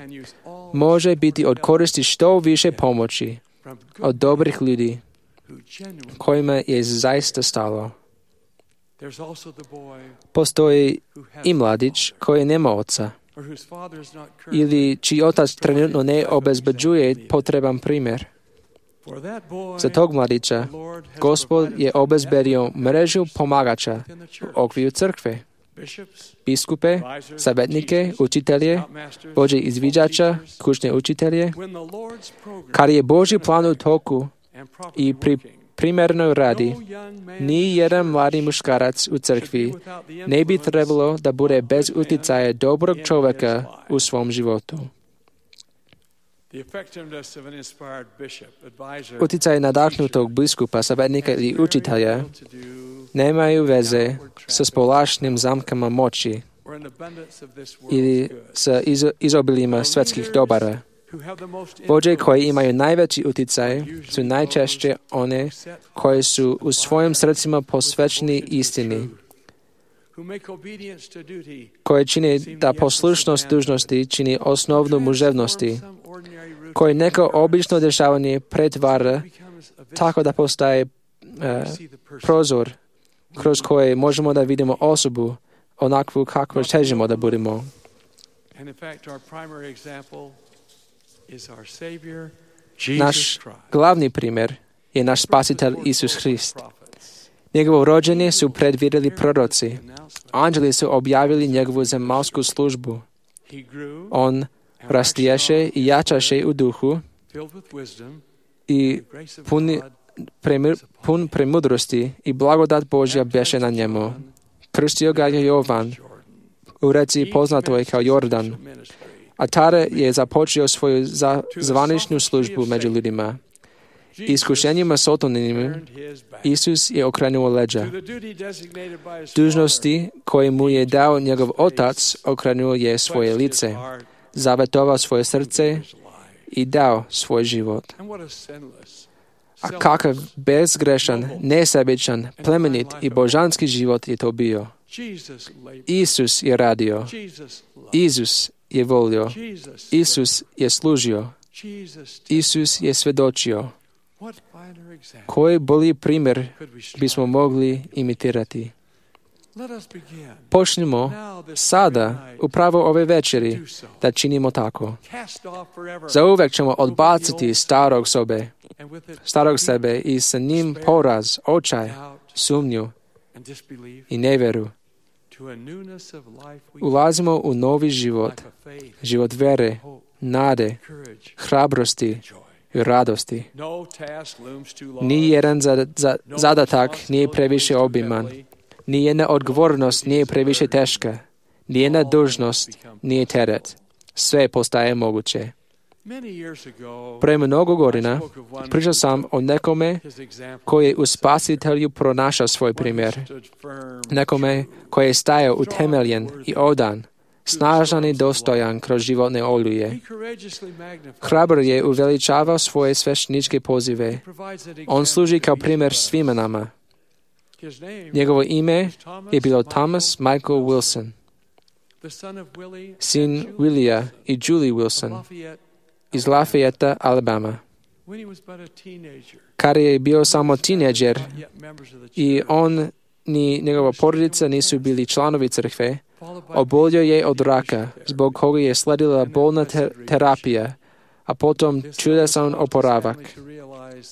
može biti od koristi što više pomoći od dobrih ljudi kojima je zaista stalo. Postoji i mladić koji nema oca ili čiji otac trenutno ne obezbeđuje potreban primjer. Za tog mladića Gospod je obezbedio mrežu pomagača u okviru crkve, biskupe, savjetnike, učitelje, vođe izviđača, kućne učitelje. Kad je Božji plan u toku i pri primjernoj radi, ni jedan mladi muškarac u crkvi ne bi trebalo da bude bez utjecaja dobrog čovjeka u svom životu. Utjecaj nadahnutog biskupa, savjetnika ili učitelja nemaju veze sa spolašnim zamkama moći ili sa izobiljima svetskih dobara. Vođe koji imaju najveći utjecaj su najčešće one koje su u svojim srcima posvećeni istini, koje čine da poslušnost dužnosti čini osnovnu muževnosti, koje neko obično dešavanje pretvara tako da postaje prozor kroz koje možemo da vidimo osobu onakvu kakvu težimo da budemo. Naš glavni primjer je naš spasitelj Isus Hrist. Njegovo rođenje su predvidjeli proroci. Anđeli su objavili njegovu zemaljsku službu. On rastješe i jačaše u duhu i pun premudrosti i blagodat Božja beše na njemu. Krstio ga je Jovan u reci poznatoj kao Jordan, a tada je započeo svoju zvaničnu službu među ljudima. Iskušenjima sotonima Isus je okrenuo leđa. Dužnosti koje mu je dao njegov otac okrenuo je svoje lice, zavetovao svoje srce i dao svoj život. A kakav bezgrešan, nesebičan, plemenit i božanski život je to bio. Isus je radio. Isus je volio. Isus je služio. Isus je svedočio. Koji bolji primjer bismo mogli imitirati? Počnimo sada, upravo ove večeri, da činimo tako. Zauvek ćemo odbaciti starog sebe i sa njim poraz, očaj, sumnju i nevjeru. Ulazimo u novi život, život vere, nade, hrabrosti i radosti. Ni jedan zadatak nije previše obiman. Nijedna odgovornost nije previše teška. Nijedna dužnost nije teret. Sve postaje moguće. Pre mnogo godina pričao sam o nekome koji je u Spasitelju pronašao svoj primjer. Nekome koji je stajao utemeljen i odan, snažan i dostojan kroz životne oluje. Hrabro je uveličavao svoje svešteničke pozive. On služi kao primjer svima nama. Njegovo ime je bilo Thomas Michael Wilson, sin Willia i Julie Wilson iz Lafayette, Alabama. Kada je bio samo tineđer i on ni njegova porodica nisu bili članovi crkve, obolio je od raka, zbog koga je sledila bolna terapija, a potom čudesan oporavak.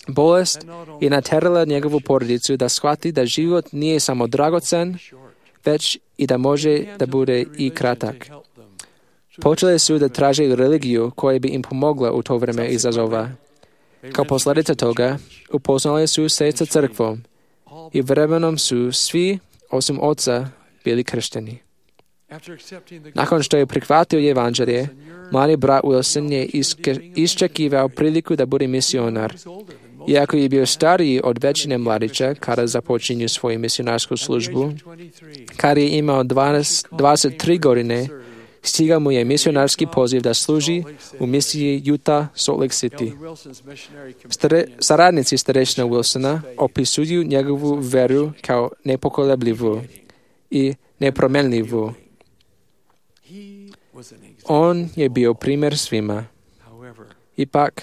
Bolest je naterala njegovu porodicu da shvati da život nije samo dragocen, već i da može da bude i kratak. Počeli su da traže religiju koja bi im pomogla u to vreme izazova. Kao posljedica toga, upoznali su se sa crkvom i vremenom su svi, osim oca, bili kršteni. Nakon što je prihvatio evanđelje, mladi brat Wilson je iščekivao priliku da bude misionar. Iako je bio stariji od većine mladića kada započinju svoju misionarsku službu, kada je imao 23 godine, stigao mu je misionarski poziv da služi u misiji Utah Salt Lake City. Saradnici starešina Wilsona opisuju njegovu veru kao nepokolebljivu i nepromenljivu. On je bio primjer svima. Ipak,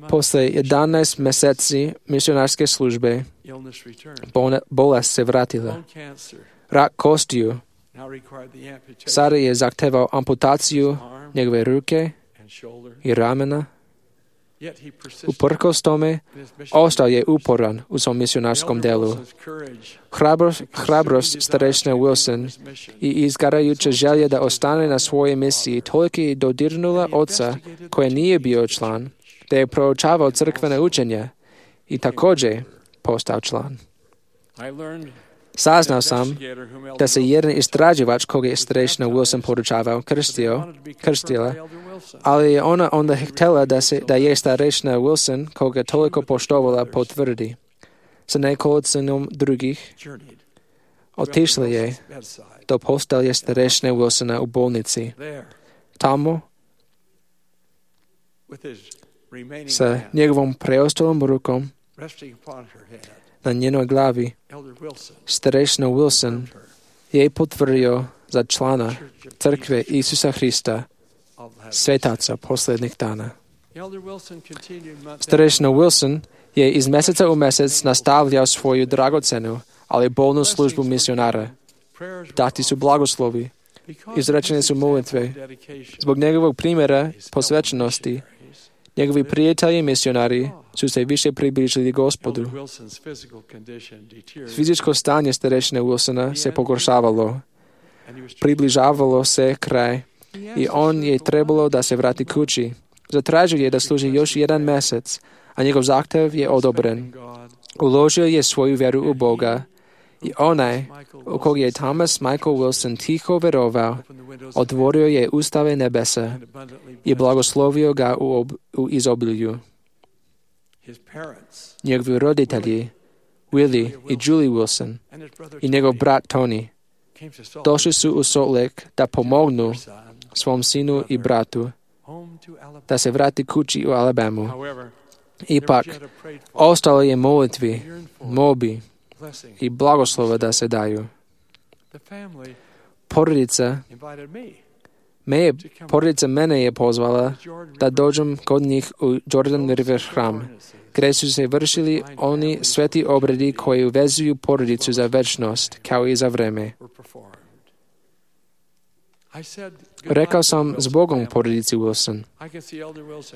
posle 11 mjeseci misionarske službe, bolest se vratila. Rak kostiju sada je zahtevao amputaciju njegove ruke i ramena. Uprkos tome, ostao je uporan u svom misionarskom delu. Hrabrost starešine Wilson i izgarajuća želja da ostane na svojoj misiji toliko je dodirnula oca koji nije bio član, da je proučavao crkvene učenja i također postao član. Saznao sam da se jedan istraživač koga je starešina Wilson poručavao krstila, ali je ona onda htjela da je starešina Wilson koga toliko poštovala potvrdi. Sa nekolicinom drugih otišla je do postelje starešine Wilsona u bolnici. Tamo, sa njegovom preostalom rukom na njenoj glavi, starešina Wilson je potvrdio za člana crkve Isusa Hrista, svetaca posljednjih dana. Starešina Wilson je iz meseca u mesec nastavljao svoju dragocenu, ali bolnu službu misionara. Dati su blagoslovi, izrečene su molitve. Zbog njegovog primjera posvećenosti, njegovi prijatelji misionari su se više približili Gospodu. Fizičko stanje starešine Wilsona se pogoršavalo. Približavalo se kraj i on je trebalo da se vrati kući. Zatražio je da služi još 1 mesec, a njegov zahtev je odobren. Uložio je svoju vjeru u Boga i onaj u kog je Thomas Michael Wilson tiho verovao, otvorio je ustave nebesa i blagoslovio ga u izobilju. Njegovi roditelji, Willie i Julie Wilson i njegov brat Tony, došli su u Salt Lake da pomognu svom sinu i bratu da se vrati kući u Alabamu. Ipak, ostalo je molitvi, molbi i blagoslova da se daju. Porodica mene je pozvala da dođem kod njih u Jordan River hram, gdje su se vršili oni sveti obredi koji uvezuju porodicu za večnost, kao i za vreme. Rekao sam s Bogom porodici Wilson.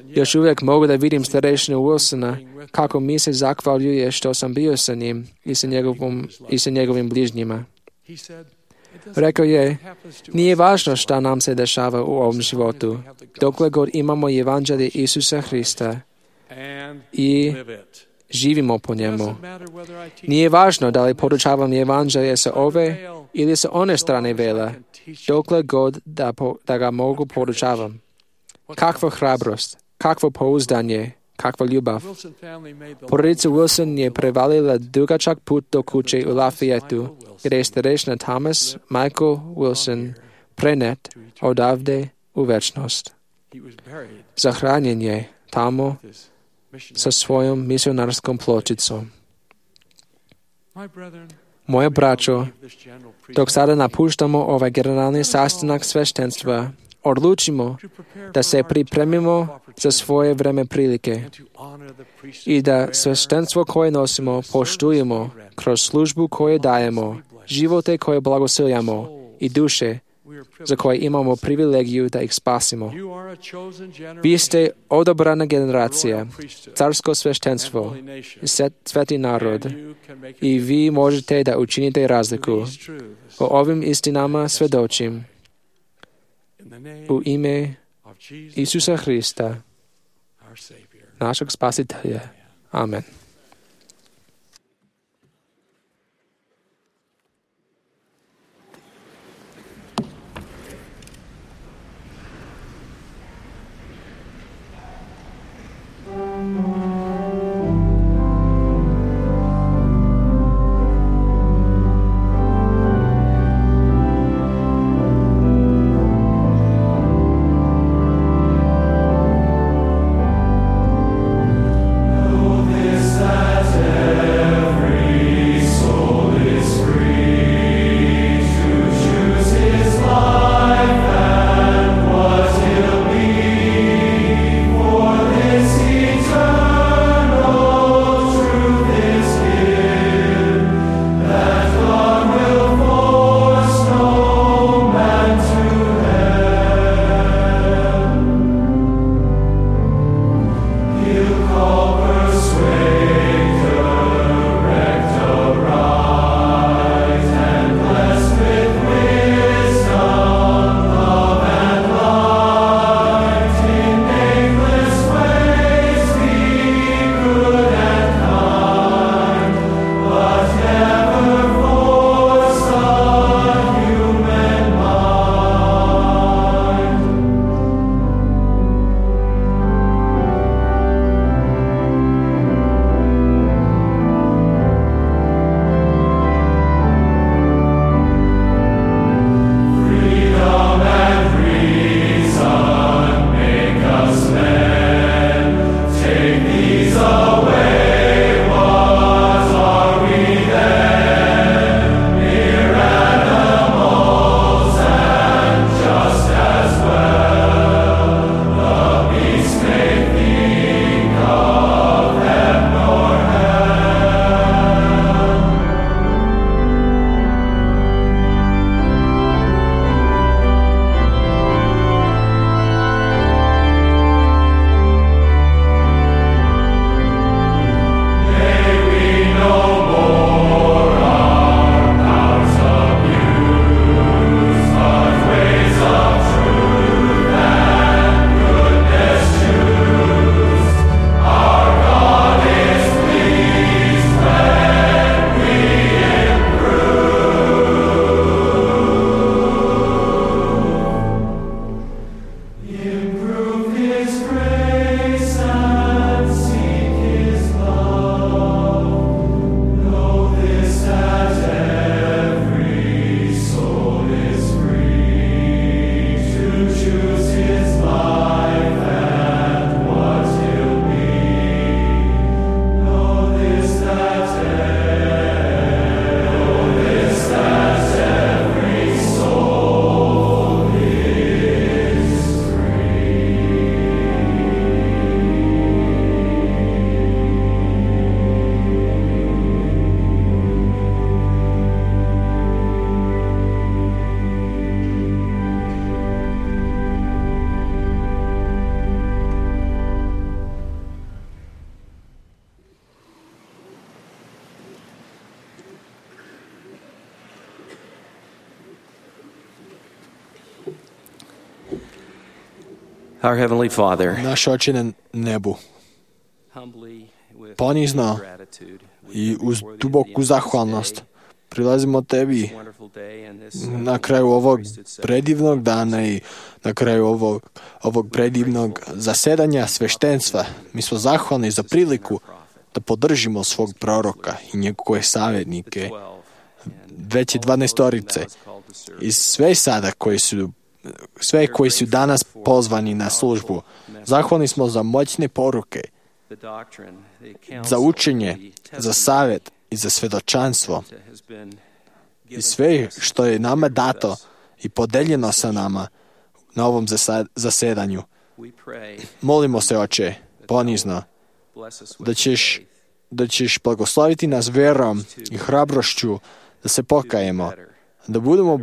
Još uvijek mogu da vidim starešinu Wilsona kako mi se zahvaljuje što sam bio sa njim i sa njegovim bližnjima. Rekao je, nije važno šta nam se dešava u ovom životu, dokle god imamo evanđelje Isusa Hrista i živimo po njemu. Nije važno da li podučavam evanđelje sa ove ili sa one strane vela, dokle god da ga mogu podučavam. Kakva hrabrost, kakvo pouzdanje, kakva ljubav. Porodica Wilson je prevalila dugačak put do kuće u Lafayette, gdje je starešina Thomas Michael Wilson prenet odavde u večnost. Zahranjen je tamo sa svojom misionarskom pločicom. Moje braćo, dok sada napuštamo ovaj generalni sastanak sveštenstva, odlučimo da se pripremimo za svoje vreme prilike i da sveštenstvo koje nosimo poštujemo kroz službu koju dajemo, živote koje blagosiljamo i duše za koje imamo privilegiju da ih spasimo. Vi ste odabrana generacija, carsko sveštenstvo, sveti narod i vi možete da učinite razliku. O ovim istinama svedočim u ime Isusa Hrista, našeg spasitelja. Amen. This Our Heavenly Father, Naš Oče na nebu, ponizno i uz duboku zahvalnost prilazimo Tebi na kraju ovog predivnog dana i na kraju ovog predivnog zasedanja sveštenstva. Mi smo zahvalni za priliku da podržimo svog proroka i njegove savjetnike, veće 12-torice i sve koji su danas pozvani na službu. Zahvalni smo za moćne poruke, za učenje, za savjet i za svedočanstvo i sve što je nama dato i podeljeno sa nama na ovom zasedanju. Molimo se, Oče, ponizno, da ćeš blagosloviti nas verom i hrabrošću da se pokajemo, da budemo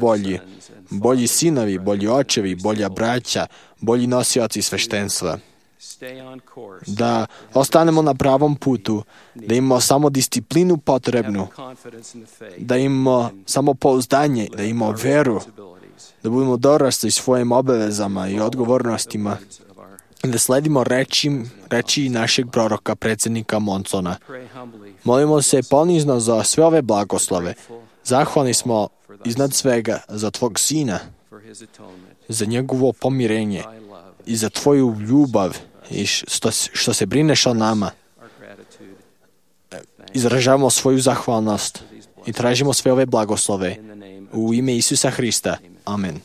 bolji sinovi, bolji očevi, bolja braća, bolji nosioci sveštenstva. Da ostanemo na pravom putu, da imamo samo disciplinu potrebnu, da imamo samo pouzdanje, da imamo veru, da budemo dorasli svojim obavezama i odgovornostima, da sledimo reči našeg proroka, predsjednika Monsona. Molimo se ponizno za sve ove blagoslove. Zahvalni smo iznad svega za Tvog Sina, za njegovo pomirenje i za Tvoju ljubav i što se brineš o nama. Izražavamo svoju zahvalnost i tražimo sve ove blagoslove u ime Isusa Hrista. Amen.